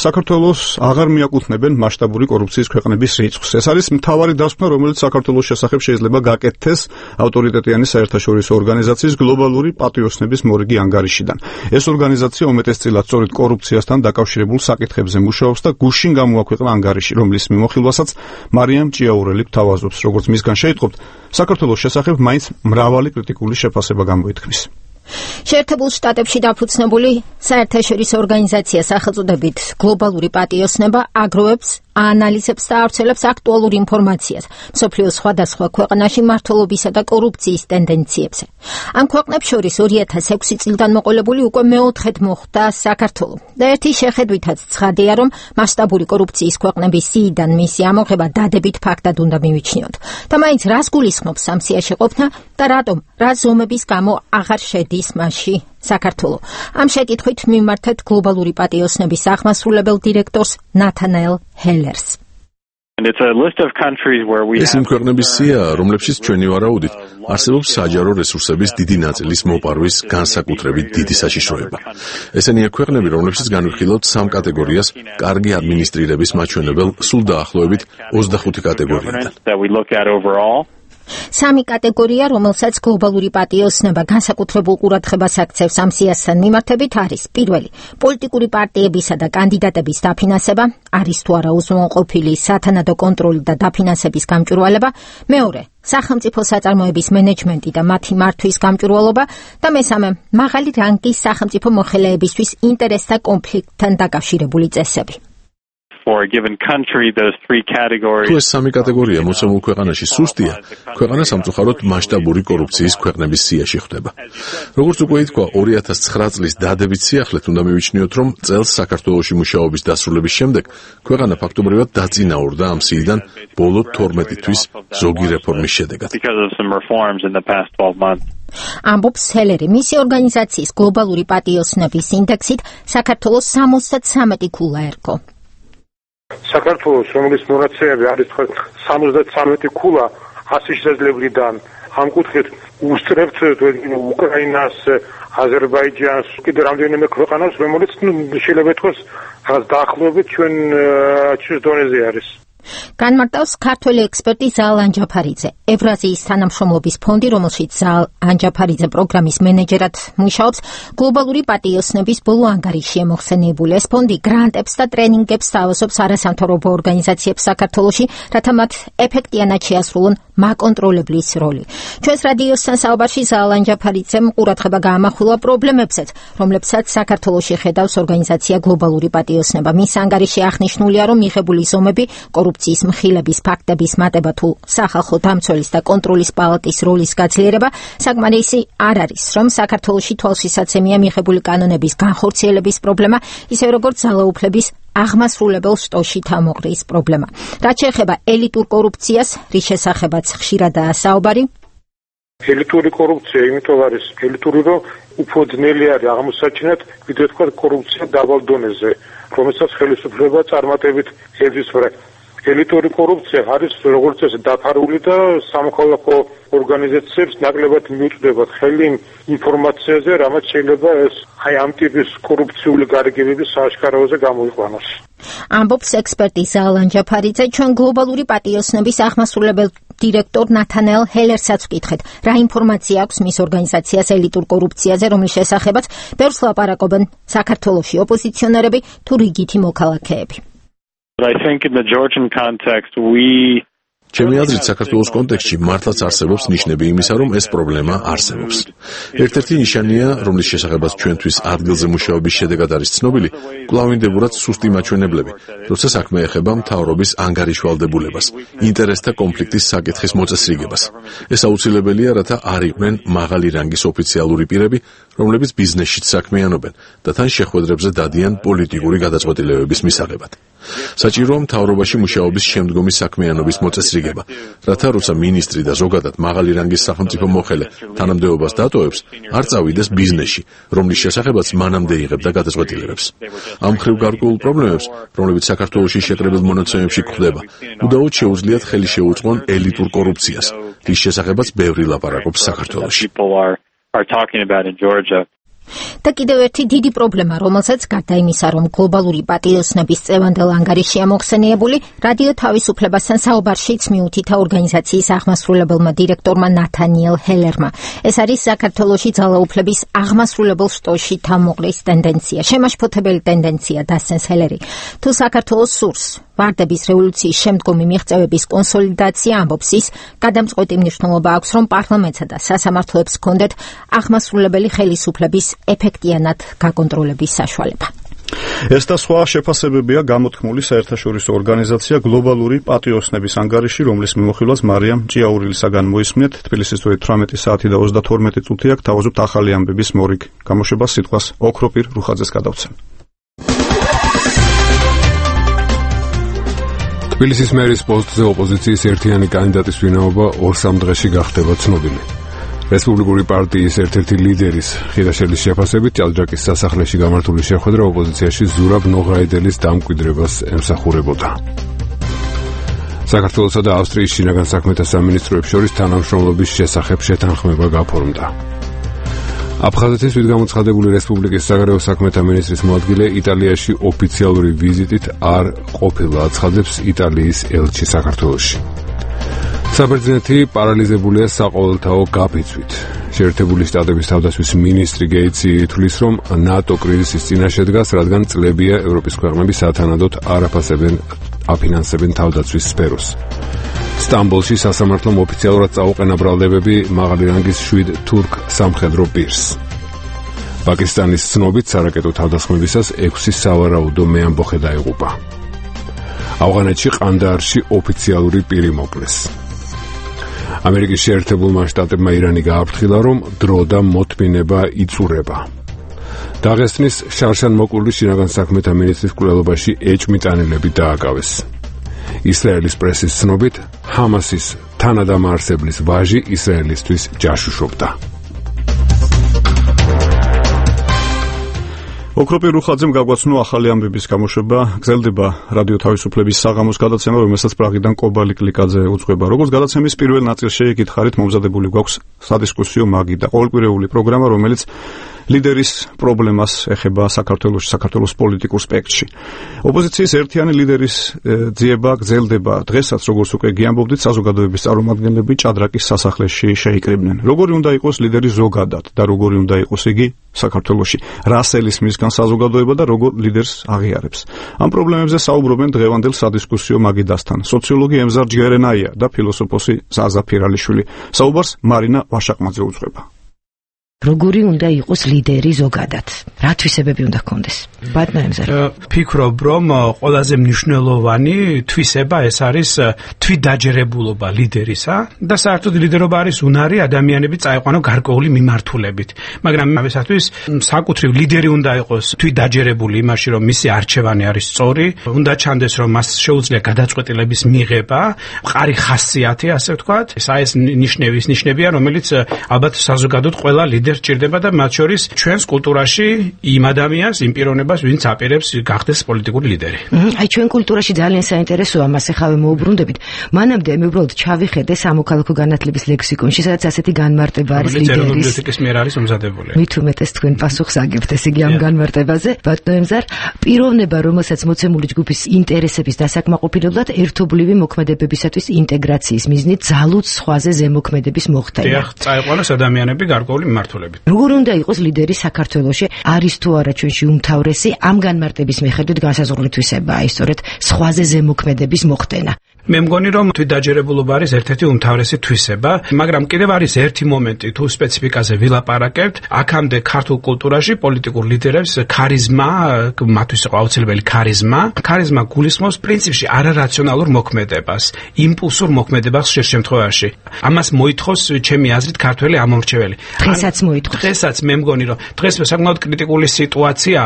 საქართველოს აღარ მიაკუთვნებენ მასშტაბური კორუფციის ქვეყნების რიცხვს. ეს არის მთავარი დასკვნა, რომელიც საქართველოს შესახებ შეიძლება გაკეთდეს ავტორიტეტიანი საერთაშორისო ორგანიზაციის გლობალური პატიოსნების მორიგი ანგარიშიდან. ეს ორგანიზაცია უმეტესწილად სწორედ კორუფციასთან დაკავშირებულ საკითხებზე მუშაობს და გუშინ გამოაქვეყნა ანგარიში, რომლის მიმოხილვასაც მარიამ ჭიაურელი გთავაზობს. როგორც მისგან შეიტყობთ, საქართველოს შესახებ მაინც მრავალი კრიტიკული შეფასება გამოითქმის. შეერთებულ შტატებში დაფუძნებული საერთაშორისო ორგანიზაცია სახელწოდებით გლობალური პატიოსნება აგროვებს, აანალიზებს და ავრცელებს აქტუალურ ინფორმაციას მსოფლიოს სხვადასხვა ქვეყანაში მმართველობისა და კორუფციის ტენდენციებზე. ამ ქვეყნებს შორის 2006 წლიდან მოყოლებული უკვე მეოთხედ მოხვდა საქართველო. და ერთი შეხედვითაც ცხადია, რომ მასშტაბური კორუფციის ქვეყნების სიიდან მისი ამოღება დადებით ფაქტად უნდა მივიჩნიოთ. და მაინც რას გულისხმობს ამ სიაში ყოფნა და რატომ, რა ზომების გამო აღარ შედის მასში საქართველო. ამ შეკითხვით მიმართეთ გლობალური პატიოსნების აღმასრულებელ დირექტორს ნათანაელ ჰელერს. ეს იმ ქვეყნების სია, რომლებშიც ჩვენი ვარაუდით არსებობს საჯარო რესურსების დიდი ნაწილის მოპარვის განსაკუთრებით დიდი საშიშროება. ესენია ქვეყნები, რომლებშიც განვიხილავთ 3 კატეგორიას კარგი ადმინისტრირების მაჩვენებელ სულ დაახლოებით 25 კატეგორიიდან. 3 კატეგორია, რომელსაც გლობალური პატიოსნება განსაკუთრებულ ყურადღებას აქცევს ამ სიასთან მიმართებით, არის: პირველი, პოლიტიკური პარტიებისა და კანდიდატების დაფინანსება, არის თუ არა უზრუნველყოფილი სათანადო კონტროლი და დაფინანსების გამჭვირვალება; მეორე, სახელმწიფო საწარმოების მენეჯმენტი და მათი მართვის გამჭვირვალობა და მესამე, მაღალი რანგის სახელმწიფო მოხელეებისთვის ინტერესთა კონფლიქტთან დაკავშირებული წესები. თუ ეს 3 კატეგორია მოცემულ ქვეყანაში სუსტია, ქვეყანა სამწუხაროდ მასშტაბური კორუფციის ქვეყნების სიაში ხვდება. როგორც უკვე ითქვა, 2009 წლის დადებით სიახლეთ უნდა მივიჩნიოთ, რომ წელს საქართველოში მუშაობის დასრულების შემდეგ ქვეყანა ფაქტობრივად დაწინაურდა ამ სიიდან ბოლო 12 თვის ზოგი რეფორმის შედეგად. ამბობს ჰელერი. მისი ორგანიზაციის გლობალური პატიოსნების ინდექსით საქართველოს 73 ქულა ერგო. საქართველოს, რომლის მონაცემები არის 73 ქულა 100 შესაძლებლიდან ამ კუთხით უსწრებთ უკრაინას, აზერბაიჯანს, კიდევ რამდენიმე ქვეყანას, რომელიც შეიძლება ითქვას რაღაც დაახლოებით ჩვენს დონეზე არის. განმარტავს ქართველი ექსპერტი ზაალ ანჯაფარიძე, ევრაზიის თანამშრომლობის ფონდი, რომელშიც ზაალ ანჯაფარიძე პროგრამის მენეჯერად მუშაობს, გლობალური პატიოსნების ბოლო ანგარიშია მოხსენიებული. ეს ფონდი გრანტებს და ტრენინგებს სთავაზობს არასამთავრობო ორგანიზაციებს საქართველოში, რათა მათ ეფექტიანად შეასრულონ მაკონტროლებლის როლი. ჩვენს რადიოსთან საუბარში ზაალ ანჯაფარიძემ ყურადღება გაამახვილა პრობლემებსაც, რომლებსაც საქართველოში ხედავს ორგანიზაცია გლობალური პატიოსნება. მის ანგარიში აღნიშნულია, რომ მიღებული ზომები კორუფციის მხილების ფაქტების მატება თუ სახალხო დამცველის და კონტროლის პალატის როლის გაძლიერება საკმარისი არ არის, რომ საქართველოში თვალშისაცემია მიღებული კანონების განხორციელების პრობლემა, ისევე როგორც ძალაუფლების აღმასრულებელ შტოში თამოყრის პრობლემა. რაც შეეხება ელიტურ კორუფციას, რის შესახებაც ხშირადაა საუბარი. ელიტური კორუფცია იმიტომ არის ელიტური, რომ უფრო ძნელი არის აღმოსაჩინად, ვიდრე თქვა კორუფცია დაბალ დონეზე, რომელსაც ხელისუფლება წარმატებით ებრძვის. ელიტური კორუფცია არის როგორც ეს დაფარული და სამოქალაქო ორგანიზაციებს ნაკლებად მიუწვდებათ ხელი ინფორმაციაზე, რამაც შეიძლება ეს ამ ტიპის კორუფციული გარიგებების სააშკაროზე გამოიყვანოს. ამბობს ექსპერტი ზაალ ანჯაფარიძე. ჩვენ გლობალური პატიოსნების აღმასრულებელ დირექტორ ნათანელ ჰელერსაც ვკითხეთ, რა ინფორმაცია აქვს მის ორგანიზაციას ელიტურ კორუფციაზე, რომლის შესახებაც ბევრს ლაპარაკობენ საქართველოში ოპოზიციონერები თუ რიგითი მოქალაქეები. I think in the Georgian context ჩემი აზრით საქართველოს კონტექსტში მართლაც არსებობს ნიშნები იმისა, რომ ეს პრობლემა არსებობს. ერთ-ერთი ნიშანია, რომლის შესახებაც ჩვენთვის ადგილზე მუშაობის შედეგად არის ცნობილი, კვლავინდებურად სუსტი მაჩვენებლები, როცა საქმე ეხება მთავრობის ანგარიშვალდებულებას, ინტერესთა კონფლიქტის საკითხის მოწესრიგებას. ეს აუცილებელია, რათა არ იყვნენ მაღალი რანგის ოფიციალური პირები, რომლებიც ბიზნესშიც საქმიანობენ და თან შეხვედრებზე დადიან პოლიტიკური გადაწყვეტილებების მისაღებად. საჭიროა მთავრობაში მუშაობის შემდგომი საქმიანობის მოწესრიგება, რათა როცა მინისტრი და ზოგადად მაღალი რანგის სახელმწიფო მოხელე თანამდებობას დატოვებს, არ წავიდეს ბიზნესში, რომლის შესახებაც მანამდე იღებდა გადაწყვეტილებებს. ამ მხრივ გარკვეულ პრობლემებს, რომლებიც საქართველოში შეკრებილ მონაცემებში გვხვდება, უდაოდ შეუძლიათ ხელი შეუწყონ ელიტურ კორუფციას, რის შესახებაც ბევრი ლაპარაკობს საქართველოში. და კიდევ ერთი დიდი პრობლემა, რომელსაც გარდა იმისა, რომ გლობალური პატიოსნების წევანდელ ანგარიშია მოხსენიებული, რადიო თავისუფლებასთან საუბარშიც მიუთითა ორგანიზაციის აღმასრულებელმა დირექტორმა ნათანიელ ჰელერმა. ეს არის საქართველოში ძალაუფლების აღმასრულებელ შტოში თამოყრის ტენდენცია, შემაშფოთებელი ტენდენცია, დასცენს ჰელერი. თუ საქართველოს სურს ვარდების რევოლუციის შემდგომი მიღწევების კონსოლიდაცია, ამბობს ის, გადამწყვეტი მნიშვნელობა აქვს, რომ პარლამენტსა და სასამართლოებს ჰქონდეთ აღმასრულებელი ხელისუფლების ეფექტიანად გაკონტროლების საშუალება. ეს და სხვა შეფასებებია გამოთქმული საერთაშორისო ორგანიზაცია გლობალური პატიოსნების ანგარიში, რომლის მიმოხილვას მარიამ ჭიაურილისაგან მოისმინეთ. თბილისის 18 საათი და 32 წუთი აქვს. თავაზობთ ახალი ამბების მორიგ გამოშვებას სიტყვას ოქროპირ რუხაძეს გადავცემ. თბილისის მერის პოსტზე ოპოზიციის ერთიანი კანდიდატის ვინაობა 2-3 დღეში გახდება ცნობილი. რესპუბლიკური პარტიის ერთ-ერთი ლიდერის ხილაშელის შეფასებით ჭადრაკის სასახლეში გამართული შეხვედრა ოპოზიციაში ზურაბ ნოღაიდელის დამკვიდრებას ემსახურებოდა. საქართველოსა და ავსტრიის შინაგან საქმეთა სამინისტროებს შორის თანამშრომლობის შესახებ შეთანხმება გაფორმდა. აფხაზეთის თვითგამოცხადებული რესპუბლიკის საგარეო საქმეთა მინისტრის მოადგილე იტალიაში ოფიციალური ვიზიტით არ ყოფილა, აცხადებს იტალიის ელჩი საქართველოში. საბერძნეთი პარალიზებულია საყოველთაო გაფიცვით. შეერთებული შტატების თავდაცვის მინისტრი გეიცი თვლის, რომ ნატო კრიზისის წინაშე დგას, რადგან წლებია ევროპის ქვეყნები სათანადოდ არ აფინანსებენ თავდაცვის სფეროს. სტამბოლში სასამართლომ ოფიციალურად წაუყენა ბრალდებები მაღალი რანგის 7 თურქ სამხედრო პირს. პაკისტანის ცნობით სარაკეტო თავდასხმებისას 6 სავარაუდო მეამბოხე დაიღუპა. ავღანეთში ყანდაარში ოფიციალური პირი მოკლეს. ამერიკის შეერთებულმა შტატებმა ირანი გააფრთხილა, რომ დრო და მოთმინება იწურება. დაღესტნის შარშან-მოკლული შინაგან საქმეთა მინისტრის კვლელობაში ეჭმიტანილები დააკავეს. ისრაელის პრესის ცნობით, ჰამასის თანადამაარსებლის ვაჟი ისრაელისთვის ჯაშუშობდა. ოქროპირ რუხაძემ გაგვაცნო ახალი ამბების გამოშვება, გრძელდება რადიო თავისუფლების საღამოს გადაცემა, რომელსაც პრაღიდან კობალი კლიკაძე უძღვება. Როგორც გადაცემის პირველ ნაწილში ეკითხარით, მომზადებული გვაქვს სადისკუსიო მაგიდა, ყოველკვირეული პროგრამა, რომელიც ლიდერის პრობლემას ეხება საქართველოს პოლიტიკურ სპექტრში. ოპოზიციის ერთიანი ლიდერის ძიება გრძელდება. დღესაც, როგორც უკვე გიამბობდით, საზოგადოების წარმომადგენლები ჭადრაკის სასახლეში შეიკრიბნენ. როგორი უნდა იყოს ლიდერი ზოგადად და როგორი უნდა იყოს იგი საქართველოში? რას ელისმისგან საზოგადოება და როგორ ლიდერს აღიარებს? ამ პრობლემებზე საუბრობენ დღევანდელ სადისკუსიო მაგიდასთან. სოციოლოგი ემზარ ჯგერენაია და ფილოსოფოსი ზაზა ფირალიშვილი. საუბარს მარინა ვაშაყმაძე უძღვება. როგორი უნდა იყოს ლიდერი ზოგადად? რა თვისებები უნდა ჰქონდეს? ბატონო ემზარ. ფიქრობ, რომ ყველაზე მნიშვნელოვანი თვისება ეს არის თვითდაჯერებულობა ლიდერისა და საერთოდ ლიდერობა არის უნარი ადამიანები წაიყვანო გარკვეული მიმართულებით. მაგრამ ამისათვის საკუთრივ ლიდერი უნდა იყოს თვითდაჯერებული იმაში, რომ მისი არჩევანი არის სწორი, უნდა ჩანდეს, რომ მას შეუძლია გადაწყვეტილების მიღება, მყარი ხასიათი, ასე ვთქვათ. ეს ნიშნებია, რომელიც ალბათ საზოგადოდ ყველა ლიდერს ჭირდება და მათ შორის ჩვენს კულტურაში იმ ადამიანს, იმ პიროვნებას, ვინც აპირებს გახდეს პოლიტიკური ლიდერი. აი ჩვენ კულტურაში ძალიან საინტერესოა, მას ახავე მოუბრუნდებით. მანამდე მე უბრალოდ ჩავიხედე სამოქალაქო განათლების ლექსიკონში, სადაც ასეთი განმარტება არის ლიდერის. ეროვნული ბიბლიოთეკის მიერ არის მომზადებული. მით უმეტეს თქვენ პასუხს აგებთ, ესე იგი ამ განმარტებაზე. ბატონო ემზარ, პიროვნება, რომელსაც მოცემული ჯგუფის ინტერესების დასაკმაყოფილებლად ერთობლივი მოქმედებებისათვის ინტეგრაციის მიზნით ძალუც სხვაზე ზემოქმედების მოხდენა. დიახ, წაიყვანოს ადამიანები გარკვეული მიმართულებით. როგორ უნდა იყოს ლიდერი საქართველოში? არის თუ არა ჩვენში უმთავრესი ამ განმარტების მიხედვით განსაზღვრული თვისება, აი სწორედ სხვაზე ზემოქმედების მოხდენა? მე მგონი, რომ თვითდაჯერებულობა არის ერთ-ერთი უმთავრესი თვისება, მაგრამ კიდევ არის ერთი მომენტი, თუ სპეციფიკაზე ვილაპარაკებთ, აქამდე ქართულ კულტურაში პოლიტიკურ ლიდერებს ქარიზმა, მათთვის იყო აუცილებელი ქარიზმა გულისხმობს პრინციპში არარაციონალურ მოქმედებას, იმპულსურ მოქმედებას ხშირ შემთხვევაში. ამას მოითხოვს ჩემი აზრით ქართველი ამომრჩეველი. დღესაც მე მგონი, რომ დღეს საკმაოდ კრიტიკული სიტუაცია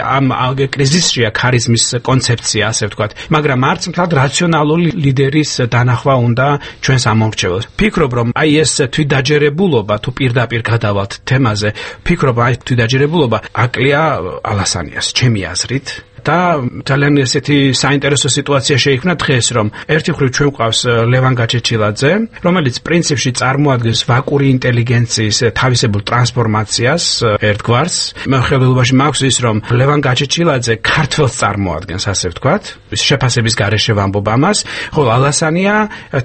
ამ კრიზისშია ქარიზმის კონცეფცია, ასე ვთქვათ, მაგრამ არც მთლად რაციონალური ლიდერის დანახვა უნდა ჩვენს ამომრჩეველს. ფიქრობ, რომ აი ეს თვითდაჯერებულობა, თუ პირდაპირ გადავალთ თემაზე, ფიქრობ, აი თვითდაჯერებულობა აკლია ალასანიას, ჩემი აზრით. და ძალიან ესეთი საინტერესო სიტუაცია შეიქმნა დღეს, რომ ერთი მხრივ ჩვენ გვყავს ლევან გაჩეჩილაძე, რომელიც პრინციპში წარმოადგენს ვაკური ინტელიგენციის თავისებურ ტრანსფორმაციას ერთგვარს. მეხედველობაში მაქვს ის, რომ ლევან გაჩეჩილაძე ქართველს წარმოადგენს, ასე ვთქვათ, შეფასების გარეშე ვამბობ ამას, ხოლო ალასანია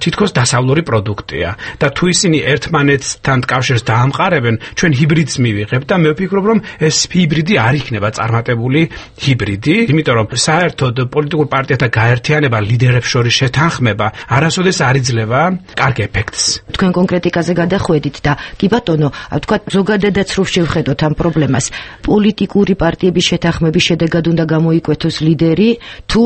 თითქოს დასავლური პროდუქტია და თუ ისინი ერთმანეთთან კავშირს დაამყარებენ, ჩვენ ჰიბრიდს მივიღებთ და მე ვფიქრობ, რომ ეს ჰიბრიდი არ იქნება წარმატებული ჰიბრიდი. იმიტომ რომ საერთოდ პოლიტიკურ პარტიათა გაერთიანება, ლიდერებს შორის შეთანხმება არასოდეს არ იძლევა კარგ ეფექტს. თქვენ კონკრეტიკაზე გადახვედით და კი ბატონო, ვთქვათ, ზოგადადაც რო შევხედოთ ამ პრობლემას, პოლიტიკური პარტიების შეთანხმების შედეგად უნდა გამოიკვეთოს ლიდერი, თუ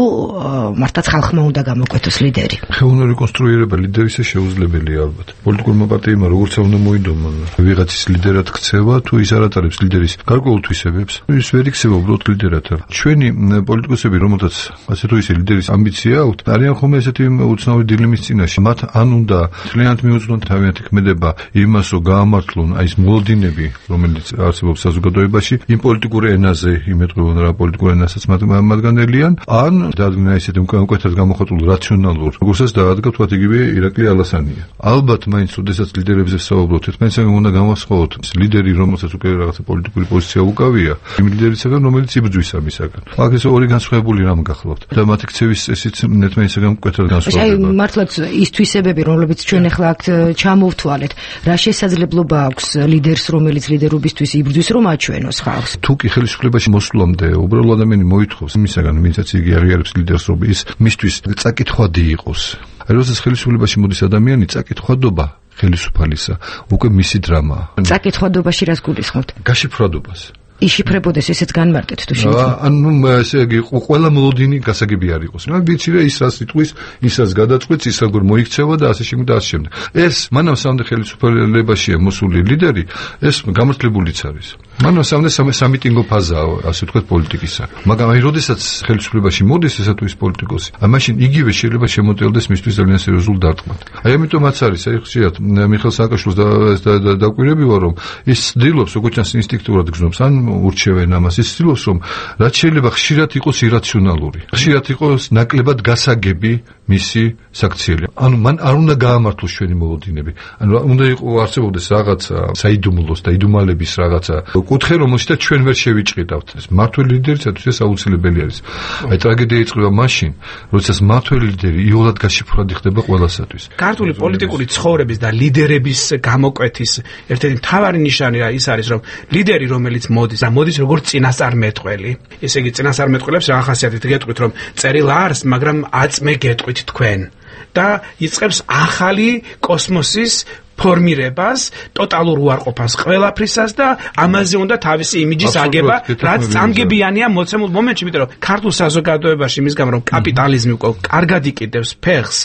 მართლაც ხალხმა უნდა გამოკვეთოს ლიდერი? ხელოვნური რეკონსტრუირება ლიდერისა შეუძლებელია ალბათ. პოლიტიკურმა პარტიებმა როგორც უნდა მოიდომონ ვიღაცის ლიდერად ქცევა, თუ ის არ ატარებს ლიდერის გარკვეულ თვისებებს, ის ვერ იქცევა უბრალოდ ლიდერად. ჩვენი პოლიტიკოსები, რომელთაც ასე თუ ისე ლიდერის ამბიცია აქვთ, არიან ხოლმე ესეთი უცნაური დილემის წინაშე. მათ ან უნდა ძალიანად მიუძღვნონ თავიანთი ქმედება იმას, რომ გაამართლონ აი ეს მოლოდინები, რომელიც არსებობს საზოგადოებაში, იმ პოლიტიკურ ენაზე იმეტყველონ რა პოლიტიკურ ენასაც მათგანელიან, ან დაადგინა ესეთი უკეთად გამოხატულ რაციონალურ, როგორცაც დაადგა თქვათ იგივე ირაკლი ალასანია. ალბათ მაინც როდესაც ლიდერებზე საუბრობთ, ერთმანეთსაგან უნდა გამოსხოთ ლიდერი, რომელსაც უკვე რაღაცა პოლიტიკური პოზიცია უკავია, იმ ლიდერისაგან, რომელიც იბრძვის ამისაგან. აქ ეს ორი განსხვავებული რამ გახლავთ და მათი ქცევის ესეც ერთმანეთსაგან მკვეთრად განსხვავდება. აი მართლაც ის თვისებები, რომლებიც ჩვენ ახლა აქ ჩამოვთვალეთ, რა შესაძლებლობა აქვს ლიდერს, რომელიც ლიდერობისთვის იბრძვის, რომ აჩვენოს ხალხს? თუ კი ხელისუფლებაში მოსვლამდე უბრალო ადამიანი მოითხოვს იმისაგან, ვინცაც იგი აღიარებს ლიდერს, რომ ის მისთვის წაკითხვადი იყოს. აი როდესაც ხელისუფლებაში მოდის ადამიანი, წაკითხვადობა ხელისუფალისა უკვე მისი დრამაა. წაკითხვადობაში რას გულისხმობთ? გაშიფრვადობას. იშიფრებოდეს ესეც განმარტეთ თუ შეიძლება. ანუ ესე იგი ყველა მოლოდინი გასაგები არ იყოს. რა ვიცი რა ის რას იტყვის, ის რას გადაწყვეტს, ის როგორ მოიქცევა და ასე შემდეგ და ასე შემდეგ. ეს მანამ სამდე ხელისუფლებაშია მოსული ლიდერი, ეს გამართლებულიც არის. მან სამიტინგო ფაზაა, ასე ვთქვათ, პოლიტიკისა. მაგრამ აი, როდესაც ხელისუფლებაში მოდის ესა თუ ის პოლიტიკოსი, მაშინ იგივე შეიძლება შემოწელდეს მისთვის ძალიან სერიოზულ დარტყმად. აი, ამიტომაც არის, აი, ხშირად მიხეილ სააკაშვილს დაკვირები ვარ, რომ ის ცდილობს, როგორც ჩანს, ინსტინქტურად გრძნობს, ან ურჩევენ ამას, ის ცდილობს, რომ რაც შეიძლება ხშირად იყოს ირაციონალური. ხშირად იყოს ნაკლებად გასაგები მისი საქციელი. ანუ მან არ უნდა გაამართლოს ჩვენი მოლოდინები. ანუ უნდა არსებობდეს რაღაცა საიდუმლოს და იდუმალების რაღაცა კუთხე, რომელშიც ჩვენ ვერ შევიჭყიდავთ. ეს მმართველი ლიდერისათვის ეს აუცილებელი არის. აი ტრაგედია იწყება მაშინ, როდესაც მმართველი ლიდერი იოლად გაშიფრად ხდება ყველასათვის. ქართული პოლიტიკური ცხოვრების და ლიდერების გამოკვეთის ერთ-ერთი მთავარი ნიშანი ის არის, რომ ლიდერი, რომელიც მოდის როგორც წინასწარმეტყველი. ესე იგი წინასწარმეტყველებს რა ხასიათით გეტყვით, რომ წერილ არის, მაგრამ აწმე გეტყვით თქვენ. და იწყებს ახალი კოსმოსის ფორმირებას, ტოტალურ უარყოფას ყველაფრისას და ამაზე უნდა თავისი იმიჯის აგება, რაც წამგებიანია მოცემულ მომენტში, იმიტომ რომ ქართულ საზოგადოებაში იმის გამო რომ კაპიტალიზმი უკვე კარგად იკიდებს ფეხს,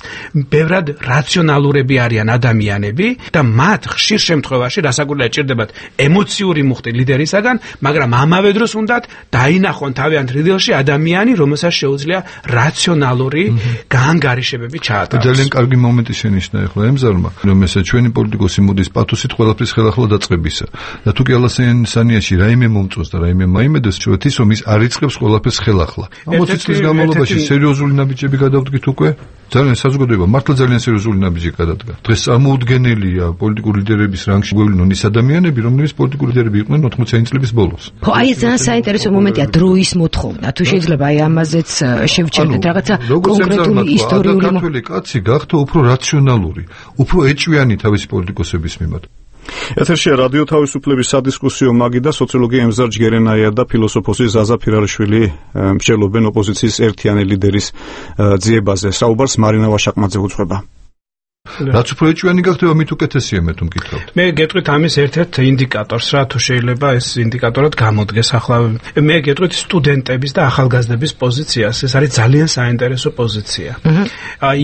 ბევრად რაციონალურები არიან ადამიანები და მათ ხშირ შემთხვევაში რასაკვირველია ჭირდებათ ემოციური მუხტი ლიდერისაგან, მაგრამ ამავე დროს უნდათ დაინახონ თავიანთ რიდილში ადამიანი, რომელსაც შეუძლია რაციონალური გაანგარიშებები ჩაატაროს. ძალიან კარგი მომენტი შენიშნა ახლა ემზარმა, რომ ესე ჩვენი პოლიტიკოსი მოდის პათოსით ყველაფრის ხელახლა დაწყებისა. და თუ კი ალასენიანიაში რაიმე მომწონს და რაიმე მაიმედოს ჩვენთვის რომ ის არ იწყებს ყველაფერს ხელახლა. 40 წლის განმავლობაში სერიოზული ნაბიჯები გადავდგით უკვე. ძალიან საზოგადოება მართლა ძალიან სერიოზული ნაბიჯი გადადგა. დღეს წარმოუდგენელია პოლიტიკური ლიდერების რანგში გვევლინონ ის ადამიანები, რომლებიც პოლიტიკური ლიდერები იყვნენ 80-იანი წლების ბოლოს. ხო, აი ეს ძალიან საინტერესო მომენტია დროის მოთხოვნა. თუ შეიძლება აი ამაზეც შევჩერდეთ რაღაცა კონკრეტული ისტორიული ქართველი კაცი გახდა უფრო რაციონალური, უფრო ეჭვიანი თავისი პოლიტიკოსების მიმართ. ეთერშია რადიო თავისუფლების სადისკუსიო მაგი და სოციოლოგი ემზარ ჯგერენაია და ფილოსოფოსი ზაზა ფირარაშვილი მსჯელობენ ოპოზიციის ერთიანი ლიდერის ძიებაზე. საუბარს მარინა ვაშაკმაძე უძღვება. რაც უფრო ეჭვიანი გახდება, მით უკეთესია მე თუ მკითხავთ. მე გეტყვით ამის ერთ-ერთ ინდიკატორს, რა თუ შეიძლება ეს ინდიკატორად გამოდგეს ახლა. მე გეტყვით სტუდენტების და ახალგაზრდების პოზიციას, ეს არის ძალიან საინტერესო პოზიცია.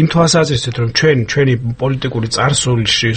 იმ თვალსაზრისით, რომ ჩვენი პოლიტიკური წარსულში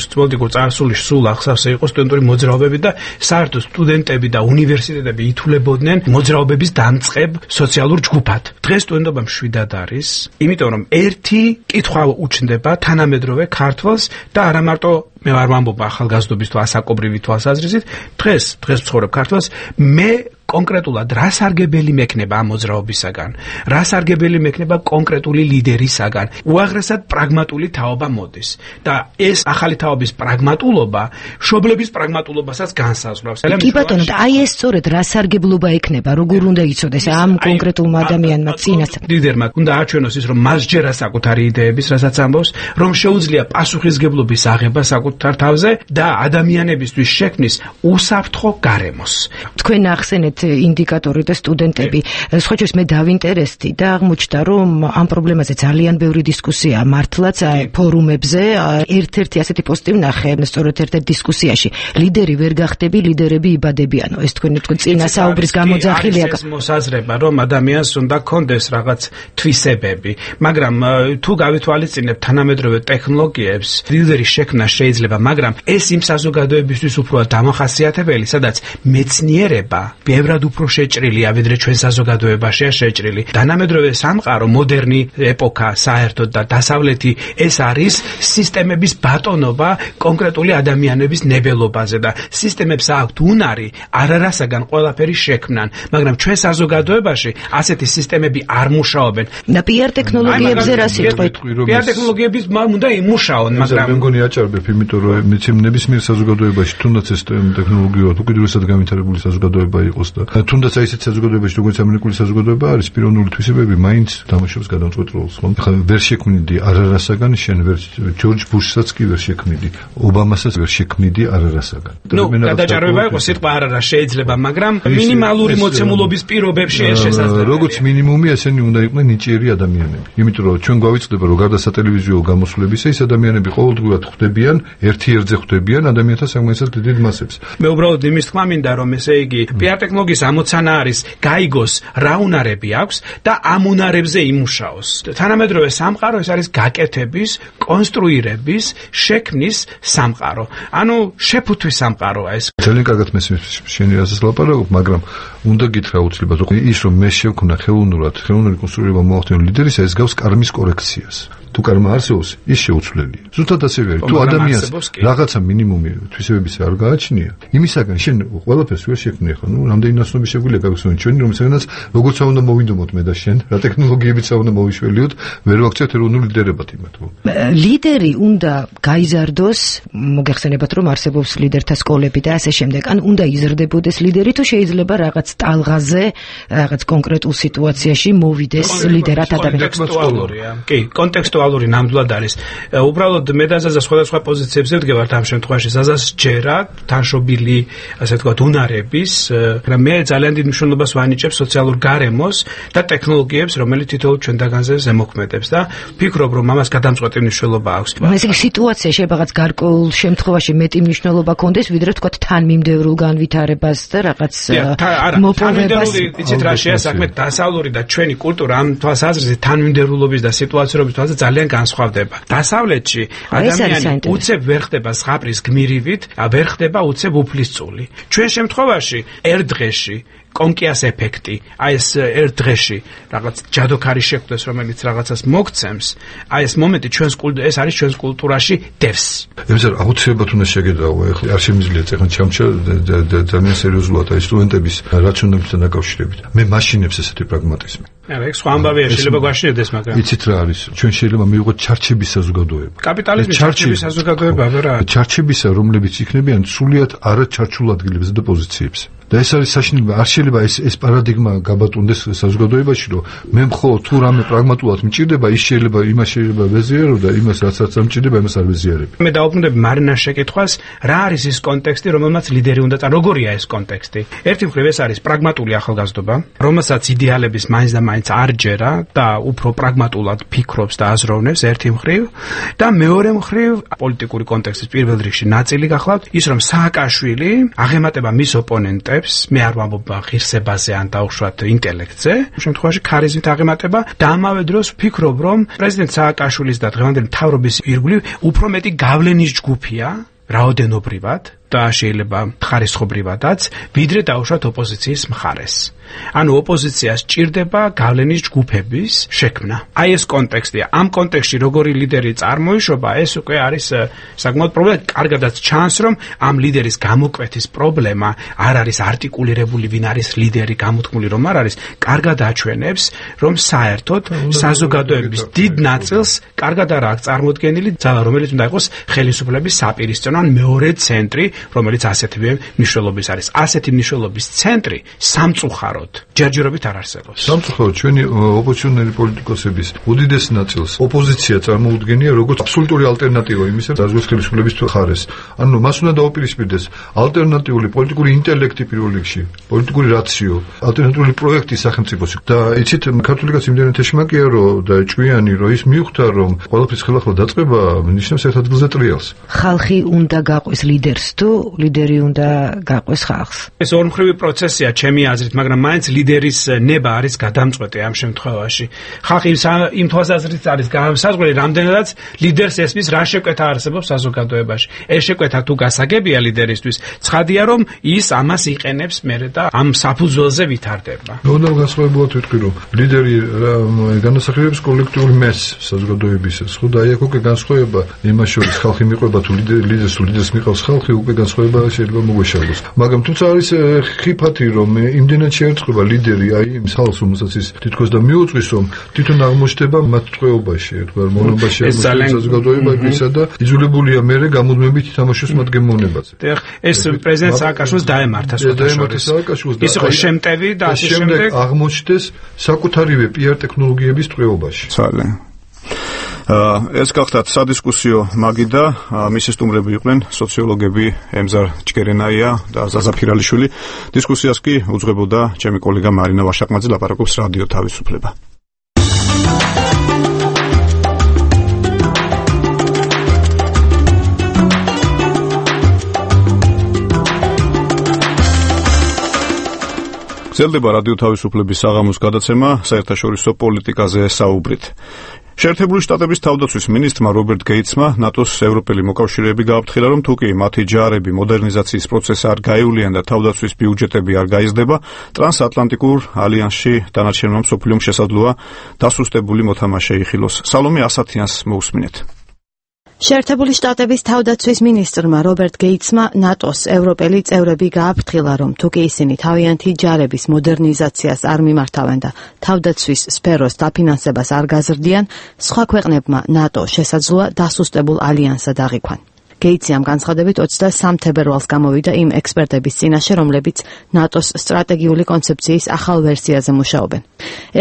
სულ ახსავსე იყო სტუდენტური მოძრაობები და საერთოდ სტუდენტები და უნივერსიტეტები ითვლებოდნენ მოძრაობების დამწყებ სოციალურ ჯგუფად. დღეს სტუდენტობა მშვიდად არის, იმიტომ რომ ერთი კითხვა უჩნდება თანამედროვე ქართველს და არა მარტო მე არ ვამბობ ახალგაზრდობის თუ ასაკობრივი თვალსაზრისით, დღეს ვცხოვრებ ქართველს, მე კონკრეტულად რა სარგებელი მექნება ამ მოძრაობისაგან, რა სარგებელი მექნება კონკრეტული ლიდერისაგან, უაღრესად პრაგმატული თაობა მოდის და ეს ახალი თაობის პრაგმატულობა მშობლების პრაგმატულობასაც განსაზღვრავს. კი ბატონო, აი ეს სწორედ რა სარგებლობა ექნება, როგორ უნდა იცოდეს ამ კონკრეტულმა ადამიანმა წინასწარ. ლიდერმა უნდა აჩვენოს ის, რომ მას ჯერა საკუთარი იდეების, რასაც ამბობს, რომ შეუძლია პასუხისგებლობის აღება საკუთარ თავზე და ადამიანებისთვის შექმნის უსაფრთხო გარემოს. თქვენ ახსენეთ ინდიკატორი და სტუდენტები. სხვა შორის მე დავინტერესდი და აღმოჩნდა, რომ ამ პრობლემაზე ძალიან ბევრი დისკუსია მართლაც ფორუმებზე. ერთ-ერთი ასეთი პოსტი ვნახე, სწორედ ერთ-ერთ დისკუსიაში. ლიდერი ვერ გახდები, ლიდერები იბადებიანო. ეს თქვენი წინა საუბრის გამოძახილია. ეს მოსაზრება, რომ ადამიანს უნდა კონდეს რაღაც თვისებები, მაგრამ თუ გავითვალისწინებთ თანამედროვე ტექნოლოგიებს, ლიდერის შექმნა შეიძლება, მაგრამ ეს იმ საზოგადოებისთვის უფრო დამახასიათებელი, სადაც მეცნიერება ბევრად უფრო შეჭრილია, ვიდრე ჩვენ საზოგადოებაშია შეჭრილი. თანამედროვე სამყარო, მოდერნი ეპოქა, საერთოდ და დასავლეთი, ეს არის სისტემების ბატონობა კონკრეტული ადამიანების ნებელობაზე და სისტემებს აქვთ უნარი არასაგან ყველაფერი შექმნან, მაგრამ ჩვენ საზოგადოებაში ასეთი სისტემები არ მუშაობენ. და PR ტექნოლოგიებზე რა სიტყვით? PR ტექნოლოგიების უნდა იმუშაონ, მაგრამ მე მგონი აჭარბებ, იმიტომ რომ ნებისმიერ საზოგადოებაში თუნდაც ეს ტექნოლოგია უკიდურესად განვითარებული საზოგადოება იყოს და თუნდაც აი ესეთ საზოგადოებაში, როგორც ამერიკული საზოგადოება არის, პიროვნული თვისებები მაინც თამაშობს გადამწყვეტ როლს, ხომ? ხა ვერ შექმნიდი არასაგან, შენ ვერ ჯორჯ ბუშსაც კი ვერ შექმნიდი, ობამასაც ვერ შექმნიდი არასაგან. გადაჭარბება იყო სიტყვა არარა შეიძლება, მაგრამ მინიმალური მოცემულობის პირობებში ეს შესაძლებელია. როგორც მინიმუმი ესენი უნდა იყვნენ ნიჭიერი ადამიანები. იმიტომ რომ ჩვენ გვავიწყდება, რომ გარდა სატელევიზიო გამოსვლებისა, ეს ადამიანები ყოველდღურად ხვდებიან, ერთ-ერთზე ხვდებიან ადამიანთა საკმაოდ დიდ მასებს. მე უბრალოდ იმის თქმა მინდა, რომ ესე იგი PR ტექნოლოგია დიალოგის ამოცანა არის გაიგოს რა უნარები აქვს და ამ უნარებზე იმუშაოს. თანამედროვე სამყარო ეს არის გაკეთების, კონსტრუირების, შექმნის სამყარო. ანუ შეფუთვის სამყაროა ეს. ძალიან კარგად მესმის შენი რაზეც ლაპარაკობ, მაგრამ უნდა გითხრა უცლებად ის რომ მე შევქნა ხელოვნური კონსტრუირება მოახდინო ლიდერისა, ეს გავს კარმის კორექციას. თუ კარმა არსებობს, ის შეუცვლელია. ზუსტად ასევე არის. თუ ადამიანს რაღაცა მინიმუმი თვისებების არ გააჩნია, იმისაგან შენ ყველაფერს ვერ შექმნი ხა, რამდენი ნაცნობი შეგვიძლია გაგხსნათ ჩვენი, რომელსაც როგორც უნდა მოვინდომოთ მე და შენ, რა ტექნოლოგიებიც უნდა მოვიშველიოთ, ვერ ვაქცევთ ეროვნულ ლიდერებად იმათ. ლიდერი უნდა გაიზარდოს, მოგეხსენებათ რომ არსებობს ლიდერთა სკოლები და ასე შემდეგ. ან უნდა იზრდებოდეს ლიდერი თუ შეიძლება რაღაც ტალღაზე, რაღაც კონკრეტულ სიტუაციაში მოვიდეს ლიდერად ადამიანი. კი, კონტექსტუალური ნამდვილად არის. უბრალოდ მე და ზაზა სხვადასხვა პოზიციებზე ვდგევართ ამ შემთხვევაში. ზაზას ჯერა თანშობილი, ასე ვთქვათ, უნარების, მაგრამ მე ძალიან დიდ მნიშვნელობას ვანიჭებ სოციალურ გარემოს და ტექნოლოგიებს, რომელიც თითოეულ ჩვენთაგანზე ზემოქმედებს და ვფიქრობ, რომ ამას გადამწყვეტი მნიშვნელობა აქვს. ესე იგი სიტუაცია შეიძლება რაღაც გარკვეულ შემთხვევაში მეტი მნიშვნელობა კონდეს, ვიდრე ვთქვათ თანმიმდევრულ განვითარებას და რაღაც მოპოვებას. იცით რა შეა საქმე, დასავლური და ჩვენი კულტურა ამ თვალსაზრისით თანმიმდევრულობის და სიტუაციურობის თვალსაზრისით ძალიან განსხვავდება. დასავლეთში ადამიანი უცებ ვერ ხდება ზღაპრის გმირივით, ვერ ხდება უცებ უფლისწული. ჩვენ შემთხვევაში ერთ დღეში კონკიას ეფექტი, აი ეს ერთ დღეში რაღაც ჯადოქარი შეხვდეს, რომელიც რაღაცას მოგცემს, აი ეს მომენტი ეს არის ჩვენს კულტურაში დევს. ემსარ აუცილებლად უნდა შეგედაო, ახლა არ შემიძლია ეხლა ჩამჩა ძალიან სერიოზულად აი სტუდენტების რაციონალებთან დაკავშირებით. მე მაშინებს ესეთი პრაგმატიზმი. არა, ეს სხვა ამბავია, შეიძლება გვაშინდეს, მაგრამ იცით რა არის? ჩვენ შეიძლება მივიღოთ ჩარჩების საზოგადოება. კაპიტალიზმის ჩარჩების საზოგადოება, რა. ჩარჩებისა, რომლებიც იქნებიან სულიად არაჩარჩულ ადგილებზე და პოზიციებზე. და ეს არის საშინელება, არ შეიძლება ეს პარადიგმა გაბატონდეს საზოგადოებაში, რომ მე მხოლოდ თუ რამე პრაგმატულად მჭირდება, ის შეიძლება იმას შეიძლება ვეზიარო და იმას რაც არ მჭირდება, იმას არ ვეზიარებ. მე დავუბრუნდები მარინას შეკითხვას, რა არის ის კონტექსტი, რომელმაც ლიდერი უნდა როგორია ეს კონტექსტი? ერთი მხრივ ეს არის პრაგმატული ახალგაზრდობა, რომელსაც იდეალების მაინც და მაინც არ ჯერა და უფრო პრაგმატულად ფიქრობს და აზროვნებს ერთი მხრივ და მეორე მხრივ პოლიტიკური კონტექსტის პირველ რიგში ნაწილი გახლავთ ის, რომ სააკაშვილი აღემატება მის ოპონენტებს, მე არ ვამბობ ღირსებაზე ან დაუშვათ ინტელექტზე, შემთხვევაში ქარიზმით აღემატება და ამავე დროს ვფიქრობ, რომ პრეზიდენტ სააკაშვილის და დღევანდელი მთავრობის ირგვლივ უფრო მეტი გავლენის ჯგუფია რაოდენობრივად და შეიძლება ხარისხობრივადაც, ვიდრე დაუშვათ ოპოზიციის მხარეს. ანუ ოპოზიციას ჭირდება გავლენის ჯგუფების შექმნა. აი ეს კონტექსტია. ამ კონტექსტში როგორი ლიდერი წარმოიშობა, ეს უკვე არის საკმაოდ პრობლემა. კარგადაც ჩანს, რომ ამ ლიდერის გამოკვეთის პრობლემა არ არის არტიკულირებული, ვინ არის ლიდერი, გამოთქმული რომ არ არის, კარგად აჩვენებს, რომ საერთოდ საზოგადოების დიდ ნაწილს კარგად არ აქვს წარმოდგენილი ძალა, რომელიც უნდა იყოს ხელისუფლების საპირისწინო ან მეორე ცენტრი, რომელიც ასეთივე მნიშვნელობის არის. ასეთი მნიშვნელობის ცენტრი სამწუხაროდ ჯერჯერობით არ არსებობს. სამწუხაროდ ჩვენი ოპოზიციონერი პოლიტიკოსების უდიდეს ნაწილს ოპოზიცია წარმოუდგენია როგორც აბსოლუტური ალტერნატივა იმისა, დაზღვეს ხელისუფლების მხარეს. ანუ მას უნდა დაუპირისპირდეს ალტერნატიული პოლიტიკური ინტელექტი პირველ რიგში, პოლიტიკური რაციო, ალტერნატიული პროექტი სახელმწიფოს. და იცით, ქართული კაცი იმდენად ეშმაკია, რომ და ჭვიანი, რომ ის მიხვდა, რომ ყველაფრის ხელახლა დაწყება ნიშნავს ერთ ადგილზე ტრიალს. ხალხი უნდა გაყვეს ლიდერს თუ ლიდერი უნდა გაყვეს ხალხს. ეს ორმხრივი პროცესია ჩემი აზრით, მაგრამ მაინც ლიდერის ნება არის გადამწყვეტი ამ შემთხვევაში. ხალხი იმ თვალსაზრისით არის განსაზღვრელი, რამდენადაც ლიდერს ესმის რა შეკვეთა არსებობს საზოგადოებაში. ეს შეკვეთა თუ გასაგებია ლიდერისთვის, ცხადია რომ ის ამას იყენებს მერე და ამ საფუძველზე ვითარდება. უნდა განსხვავებულად ვიტყვი, რომ ლიდერი განასახიერებს კოლექტიური მესს საზოგადოებისას, ხო და აი აქ უკვე განსხვავება იმას შორის ხალხი მიყვება თუ ლიდერს მიყავს ხალხი, უკვე განსხვავება შეიძლება მოგვეშალოს. მაგრამ თუმცა არის ხიფათი, რომ იმდენად შეერწყება ლიდერი აი იმ ხალხს, რომელსაც ის თითქოს და მიუძღვის, რომ თვითონ აღმოჩნდება მათ ტყვეობაში, თქვა მონობაში საზოგადოებისა და იძულებულია მერე გამუდმებით ითამაშოს მათ გემოვნებაზე. ეს პრეზიდენტ სააკაშვილს დაემართა სააკაშვილს ის იყო შემტევი და ასე შემდეგ აღმოჩნდეს საკუთარივე პიარ ტექნოლოგიების ტყვეობაში. ძალიან ეს გახდათ სადისკუსიო მაგიდა, მისი სტუმრები იყვნენ სოციოლოგები ემზარ ჭკერენაია და ზაზა ფირალიშვილი. დისკუსიას კი უძღვებოდა ჩემი კოლეგა მარინა ვაშაკმაძე, ლაპარაკობს რადიო თავისუფლება. გრძელდება რადიო თავისუფლების საღამოს გადაცემა საერთაშორისო პოლიტიკაზე საუბრით. შეერთებული შტატების თავდაცვის მინისტრმა რობერტ გეიტსმა ნატოს ევროპელი მოკავშირეები გააფრთხილა, რომ თუ კი მათი ჯარები მოდერნიზაციის პროცესს არ გაივლიან და თავდაცვის ბიუჯეტები არ გაიზრდება, ტრანსატლანტიკურ ალიანსში დანარჩენმა მსოფლიომ შესაძლოა დასუსტებული მოთამაშე იხილოს. სალომე ასათიანს მოусმინეთ. შეერთებული შტატების თავდაცვის მინისტრმა რობერტ გეიტსმა ნატოს ევროპელი წევრები გააფრთხილა, რომ თუ კი ისინი თავიანთი ჯარების მოდერნიზაციას არ მიმართავენ და თავდაცვის სფეროს დაფინანსებას არ გაზრდიან, სხვა ქვეყნებმა ნატო შესაძლოა დასუსტებულ ალიანსად აღიქვან. გეიტსი ამ განცხადებით 23 თებერვალს გამოვიდა იმ ექსპერტების წინაშე, რომლებიც ნატოს სტრატეგიული კონცეფციის ახალ ვერსიაზე მუშაობენ.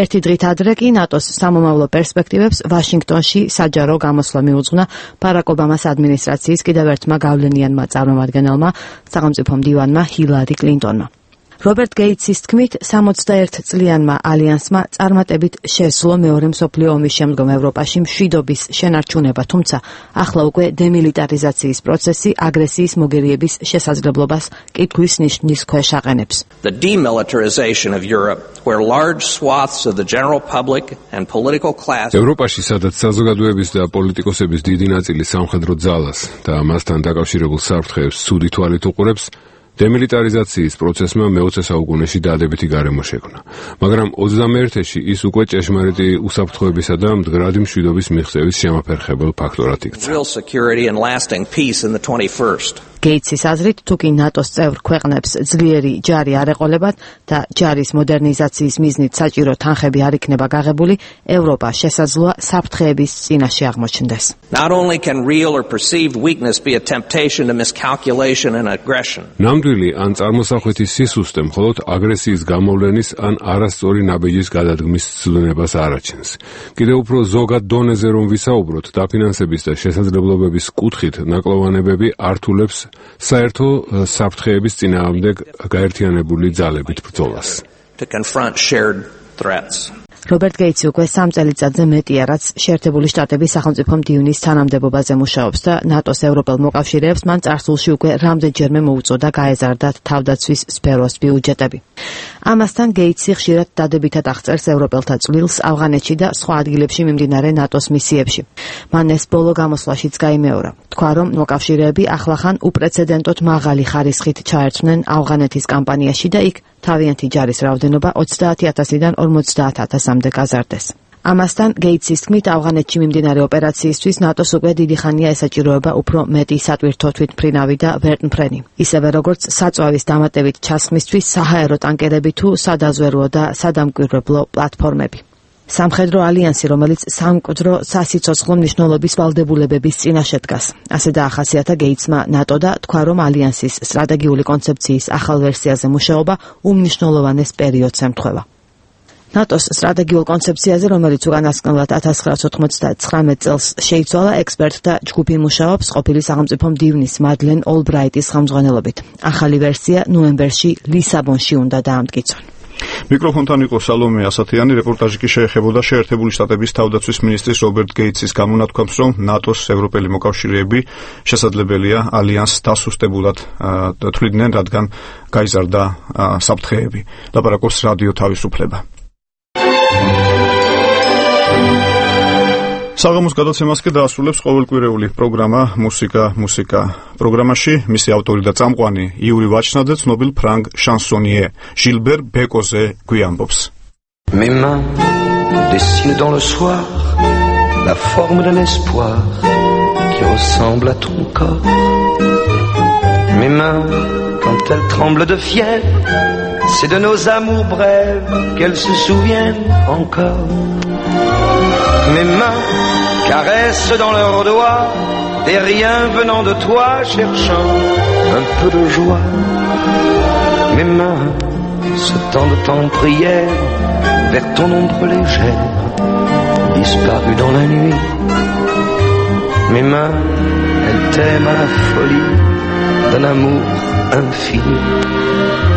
ერთი დღით ადრე კი ნატოს სამომავლო პერსპექტივებს ვაშინგტონში საჯარო გამოსვლა მიუძღვნა ბარაკ ობამას ადმინისტრაციის კიდევ ერთმა გავლენიანმა წარმომადგენელმა, სახელმწიფო მდივანმა ჰილარი კლინტონმა. რობერტ გეიტსის თქმით, 61 წლიანმა ალიანსმა წარმატებით შესძლო მეორე მსოფლიო ომის შემდგომ ევროპაში მშვიდობის შენარჩუნება, თუმცა ახლა უკვე დემილიტარიზაციის პროცესი აგრესიის მოგერიების შესაძლებლობას კითხვის ნიშნის ქვეშ აყენებს. The demilitarization of Europe, where large swaths of the general public and political class ევროპაში, სადაც საზოგადოების და პოლიტიკოსების დიდი ნაწილი სამხედრო ძალას და მასთან დაკავშირებულ საფრთხეებს ცუდი თვალით უყურებს, დემილიტარიზაციის პროცესმა მე-20 საუკუნეში დადებითი გარემო შექმნა, მაგრამ 21-ში ის უკვე ჭეშმარიტი უსაფრთხოებისა და მდგრადი მშვიდობის მიღწევის შემაფერხებელ ფაქტორად იქცა. გეიტსის აზრით, თუ კი ნატოს წევრ ქვეყნებს ძლიერი ჯარი არ ეყოლებათ და ჯარის მოდერნიზაციის მიზნით საჭირო თანხები არ იქნება გაღებული, ევროპა შესაძლოა საფრთხეების წინაშე აღმოჩნდეს. Not only can real or perceived weakness be a temptation to miscalculation and aggression. ნამდვილი ან წარმოსახვითი სისუსტე მხოლოდ აგრესიის გამოვლენის ან არასწორი ნაბიჯის გადადგმის ცვლილებას არაჩენს. კიდევ უფრო ზოგად დონეზე რომ ვისაუბროთ, დაფინანსების და შესაძლებლობების კუთხით ნაკლოვანებები ართულებს საერთო საფრთხეების წინააღმდეგ გაერთიანებული ძალებით ბრძოლას. To confront shared threats. რობერტ გეიტსი უკვე 3 წელიწადზე მეტია, რაც შეერთებული შტატების სახელმწიფო მდივნის თანამდებობაზე მუშაობს და ნატოს ევროპელ მოკავშირეებს მან წარსულში უკვე რამდენჯერმე მოუწოდა გაეზარდათ თავდაცვის სფეროს ბიუჯეტები. ამასთან გეიტსი ხშირად დადებითად აღწერს ევროპელთა წვლილს ავღანეთში და სხვა ადგილებში მიმდინარე ნატოს მისიებში. მან ეს ბოლო გამოსვლაშიც გაიმეორა. თქვა, რომ მოკავშირეები ახლახან უპრეცედენტოდ მაღალი ხარისხით ჩაერთვნენ ავღანეთის კამპანიაში და იქ თავიანთი ჯარის რაოდენობა 30,000-დან 50,000-მდე გაზარდეს. ამასთან გეიტსის თქმით, ავღანეთში მიმდინარე ოპერაციისთვის ნატოს უკვე დიდი ხანია ესაჭიროება უფრო მეტი სატვირთო თვითმფრინავი და ვერტმფრენი. ისევე როგორც საწვავის დამატებით ჩასხმისთვის საჰაერო ტანკერები თუ სადაზვერვო და სადამკვირვებლო პლატფორმები. სამხედრო ალიანსი, რომელიც სამკვდრო სასიცოცხლო მნიშვნელობის ვალდებულებების წინაშე დგას. ასე დაახასიათა გეიტსმა ნატო და თქვა, რომ ალიანსის სტრატეგიული კონცეფციის ახალ ვერსიაზე მუშაობა უმნიშვნელოვანეს პერიოდს ემთხვევა. ნატოს სტრატეგიულ კონცეფციაზე, რომელიც უკანასკნელად 1999 წელს შეიცვალა, ექსპერტთა ჯგუფი მუშაობს ყოფილი სახელმწიფო მდივნის მადლენ ოლბრაიტის ხელმძღვანელობით. ახალი ვერსია ნოემბერში ლისაბონში უნდა დაამტკიცონ. მიკროფონთან იყო სალომე ასათიანი, რეპორტაჟი კი შეეხებოდა შეერთებული შტატების თავდაცვის მინისტრის რობერტ გეიტსის გამონათქვამს, რომ ნატოს ევროპელი მოკავშირეები შესაძლებელია ალიანსს დასუსტებულად თვლიდნენ, რადგან გაიზარდა საფრთხეები. ლაპარაკობს რადიო თავისუფლება. საღამოს გადაცემას კი დაასრულებს ყოველკვირეული პროგრამა მუსიკა. პროგრამაში მისი ავტორი და წამყვანი იური ვაჩნაძე ცნობილ ფრანგ შანსონიე ჟილბერ ბეკოზე გვიამბობს. Mes mains dessinent dans le soir la forme d'un espoir qui ressemble à ton corps. Mes mains, quand elles tremblent de fièvre, c'est de nos amours brèves qu'elles se souviennent encore. Mes mains caressent dans leurs doigts des riens venant de toi, cherchant un peu de joie. Mes mains se tendent en prière vers ton ombre légère, disparue dans la nuit. Mes mains, elles t'aiment à la folie d'un amour infini.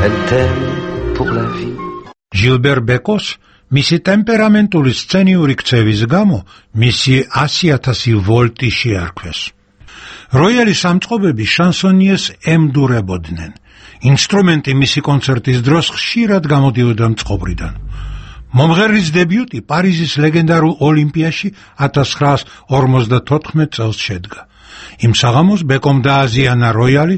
Elles t'aiment pour la vie. Gilbert Bekos მისი ტემპერამენტული სცენიური ქცევის გამო მისი 100,000 ვოლტი შეარქვეს. როიალის სამწყობები შანსონიეს ემდურებოდნენ. ინსტრუმენტი მისი კონცერტის დროს ხშირად გამოდიოდა მწყობრიდან. მომღერლის დებიუტი პარიზის ლეგენდარულ ოლიმპიაში 1954 წელს შედგა. იმ საღამოს ბეკომ დააზიანა როიალი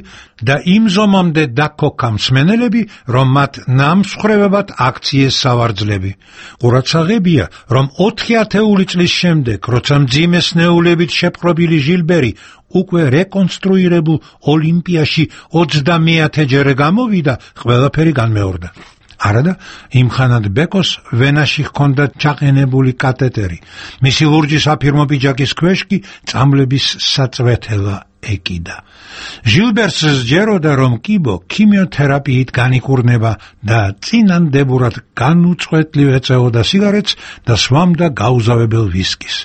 და იმ ზომამდე დაქოქა მსმენელები, რომ მათ ნამსხვრევებად აქციეს სავარძლები. ყურადსაღებია, რომ 4 ათეული წლის შემდეგ, როცა მძიმე სნეულებით შეპყრობილი ჟილბერი უკვე რეკონსტრუირებულ ოლიმპიაში 30-მეათეჯერ გამოვიდა, ყველაფერი განმეორდა. არადა იმხანად ბეკოს ვენაში ჰქონდა ჩაყენებული კათეტერი, მისი ლურჯი საფირმო პიჯაკის ქვეშ კი წამლების საწვეთელა ეკიდა. ჟილბერს სჯეროდა, რომ კიბო ქიმიოთერაპიით განიკურნება და წინანდებურად განუწყვეტლივ ეწეოდა სიგარეტს და სვამდა გაუზავებელ ვისკის.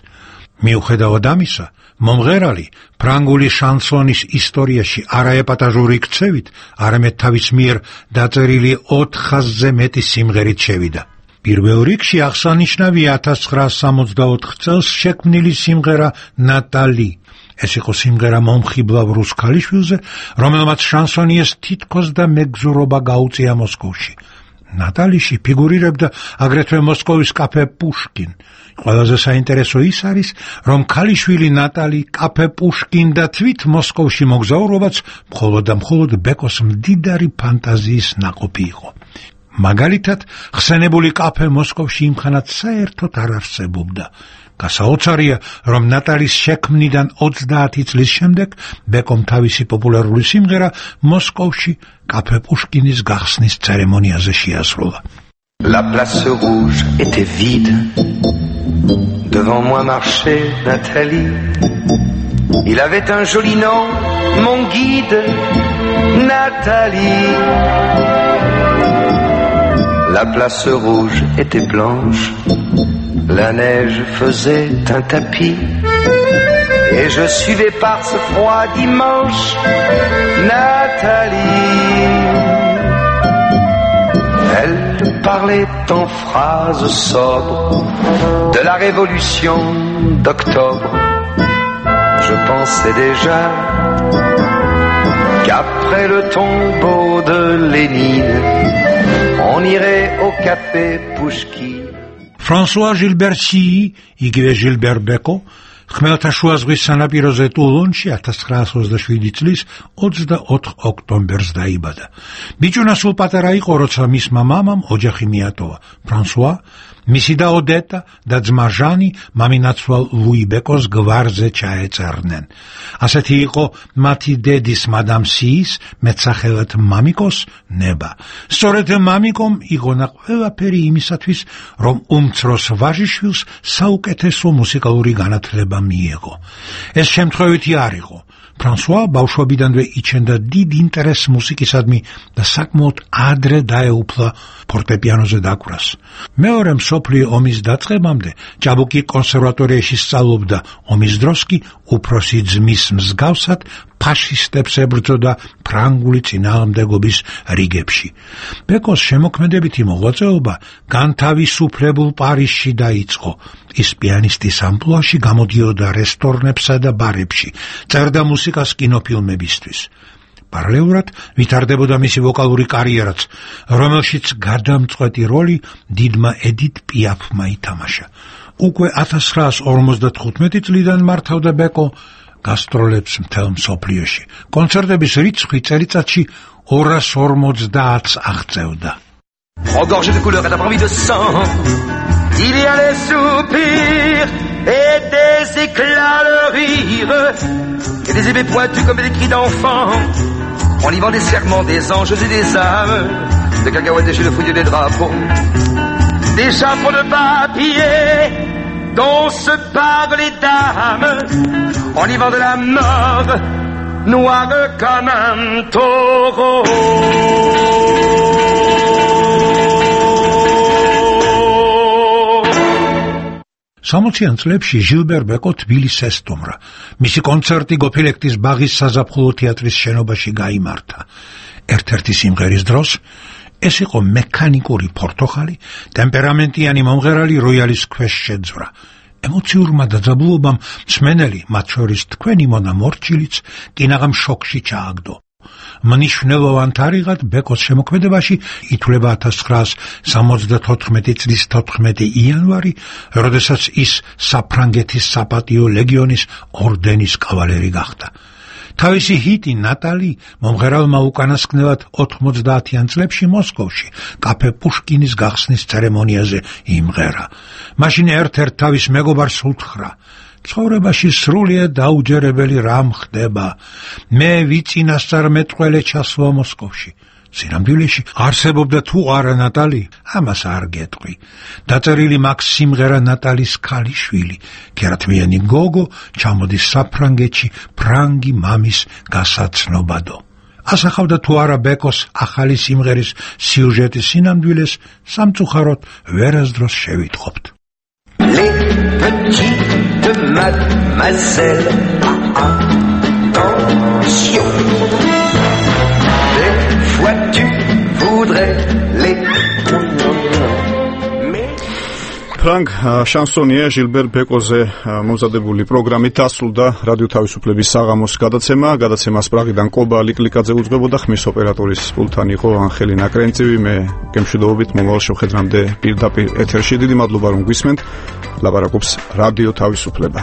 მიუხედავად ამისა, მომღერალი ფრანგული შანსონის ისტორიაში არაეპატაჟური ქცევით, არამედ თავის მიერ დაწერილი 400-ზე მეტი სიმღერით შევიდა. პირველ რიგში აღსანიშნავია 1964 წელს შექმნილი სიმღერა ნატალი. ეს იყო სიმღერა მომხიბლავ რუს ქალიშვილზე, რომელმაც შანსონიეს თითქოს და მეგზურობა გაუწია მოსკოვში. ნატალიში ფიგურირებდა აგრეთვე მოსკოვის კაფე პუშკინ. ყველაზე საინტერესო ის არის, რომ ქალიშვილი ნატალი, კაფე პუშკინ და თვით მოსკოვში მოგზაურობაც მხოლოდ ბეკოს მდიდარი ფანტაზიის ნაყოფი იყო. მაგალითად, ხსენებული კაფე მოსკოვში იმხანად საერთოდ არ არსებობდა. გასაოცარია, რომ ნატალის შექმნიდან 30 წლის შემდეგ ბეკომ თავისი პოპულარული სიმღერა მოსკოვში კაფე პუშკინის გახსნის ცერემონიაზე შეასრულა. La place rouge était vide. Devant moi marchait Nathalie. Il avait un joli nom, mon guide, Nathalie. La place rouge était blanche. La neige faisait un tapis. Et je suivais par ce froid dimanche Nathalie. Elle parlait en phrases sobres de la révolution d'octobre. Je pensais déjà qu'après le tombeau de Lénine, on irait au café Pouchkine. François Gilberti, იგივე ჟილბერ ბეკო, ხმელთაშუა ზღვის სანაპიროზე ტულონში 1927 წლის 24 ოქტომბერს დაიბადა. ბიჭუნა სულ პატარა იყო, როცა მისმა მამამ ოჯახი მიატოვა. ფრანსუა, მისი და ოდეტა და ძმა ჟანი მამინაცვალ ლუი ბეკოს გვარზე ჩაეწერნენ. ასეთი იყო მათი დედის მადამ სიის, მეტსახელად მამიკოს ნება. სწორედ მამიკომ იგონა ყველაფერი იმისათვის, რომ უმცროს ვაჟიშვილს საუკეთესო მუსიკალური განათლება მიეღო. ეს შემთხვევითი არ იყო. ფრანსუა ბავშვობიდანვე იჩენდა დიდ ინტერესს მუსიკისადმი და საკმაოდ ადრე დაეუფლა ფორტეპიანოზე დაკვრას. მეორე მსოფლიო ომის დაწყებამდე ჭაბუკი კონსერვატორიაში სწავლობდა, ომის დროს კი უფროსი ძმის მსგავსად ფაშისტებს ებრძოდა ფრანგული წინააღმდეგობის რიგებში. ბეკოს შემოქმედებითი მოღვაწეობა განთავისუფლებულ პარიზში დაიწყო. ის პიანისტის ამპლუაში გამოდიოდა რესტორნებსა და ბარებში, წერდა მუსიკას კინოფილმებისთვის. პარალელურად ვითარდებოდა მისი ვოკალური კარიერაც, რომელშიც გადამწყვეტი როლი დიდმა ედით პიაფმა ითამაშა. უკვე 1955 წლიდან მართავდა ბეკო გასტროლებს მთელ მსოფლიოში. კონცერტების რიცხვი წელიწადში 250-ს აღწევდა. Regorgé de couleurs et d'après de sang, il y a les soupirs et des éclats de rire, et des épées pointues comme des cris d'enfants, en livrant des serments des anges et des âmes, de cacahuètes déchets de fouilles des drapeaux, des chapeaux de papier dont se parlent les dames, en livrant de la mort, noire comme un taureau. სამოციან წლებში ჟილბერ ბეკო თბილისს ესტუმრა. მისი კონცერტი გოფილექტის ბაღის საზაფხულო თეატრის შენობაში გაიმართა. ერთ-ერთი სიმღერის დროს ეს იყო მექანიკური პორტოხალი, ტემპერამენტიანი მომღერალი როიალის ქვეშ შეძვრა. ემოციურმა დაძაბულობამ მსმენელი, მათ შორის თქვენი მონა მორჩილიც, კინაღამ შოკში ჩააგდო. მნიშვნელოვან თარიღად ბეკოს შემოქმედებაში ითვლება 1974 წლის 14 იანვარი, როდესაც ის საფრანგეთის საპატიო ლეგიონის ორდენის კავალერი გახდა. თავისი ჰიტი ნატალი მომღერალმა უკანასკნელად 90-იან წლებში მოსკოვში კაფე პუშკინის გახსნის ცერემონიაზე იმღერა. მაშინ ერთ-ერთ თავის მეგობარს უთხრა: ცხოვრებაში სრულიად დაუჯერებელი რამ ხდება. მე ვიწინასწარმეტყველე ჩასვლა მოსკოვში. სინამდვილეში არსებობდა თუ არა ნატალი, ამას არ გეტყვი. დაწერილი მაგ სიმღერა ნატალის ქალიშვილი, ქერათმიანი გოგო, ჩამოდის საფრანგეთში ფრანგი მამის გასაცნობადო. ასახავდა თუ არა ბეკოს ახალი სიმღერის სიუჟეტის სინამდვილეს, სამწუხაროდ ვერასდროს შევიტყობთ. Les petites mademoiselles, attention. Des fois tu voudrais les... ფრანგ შანსონია ჟილბერ ბეკოზე მომზადებული პროგრამით დასრულდა რადიო თავისუფლების საღამოს გადაცემა. გადაცემას პრაღიდან კობა ლიკლიკაძე უძღვებოდა, ხმის ოპერატორის პულტთან იყო ანხელი ნაკრენწივი. მე გემშვიდობებით მომავალ შეხვედრამდე პირდაპირ ეთერში. დიდი მადლობა რომ გვისმენთ. ლაპარაკობს რადიო თავისუფლება.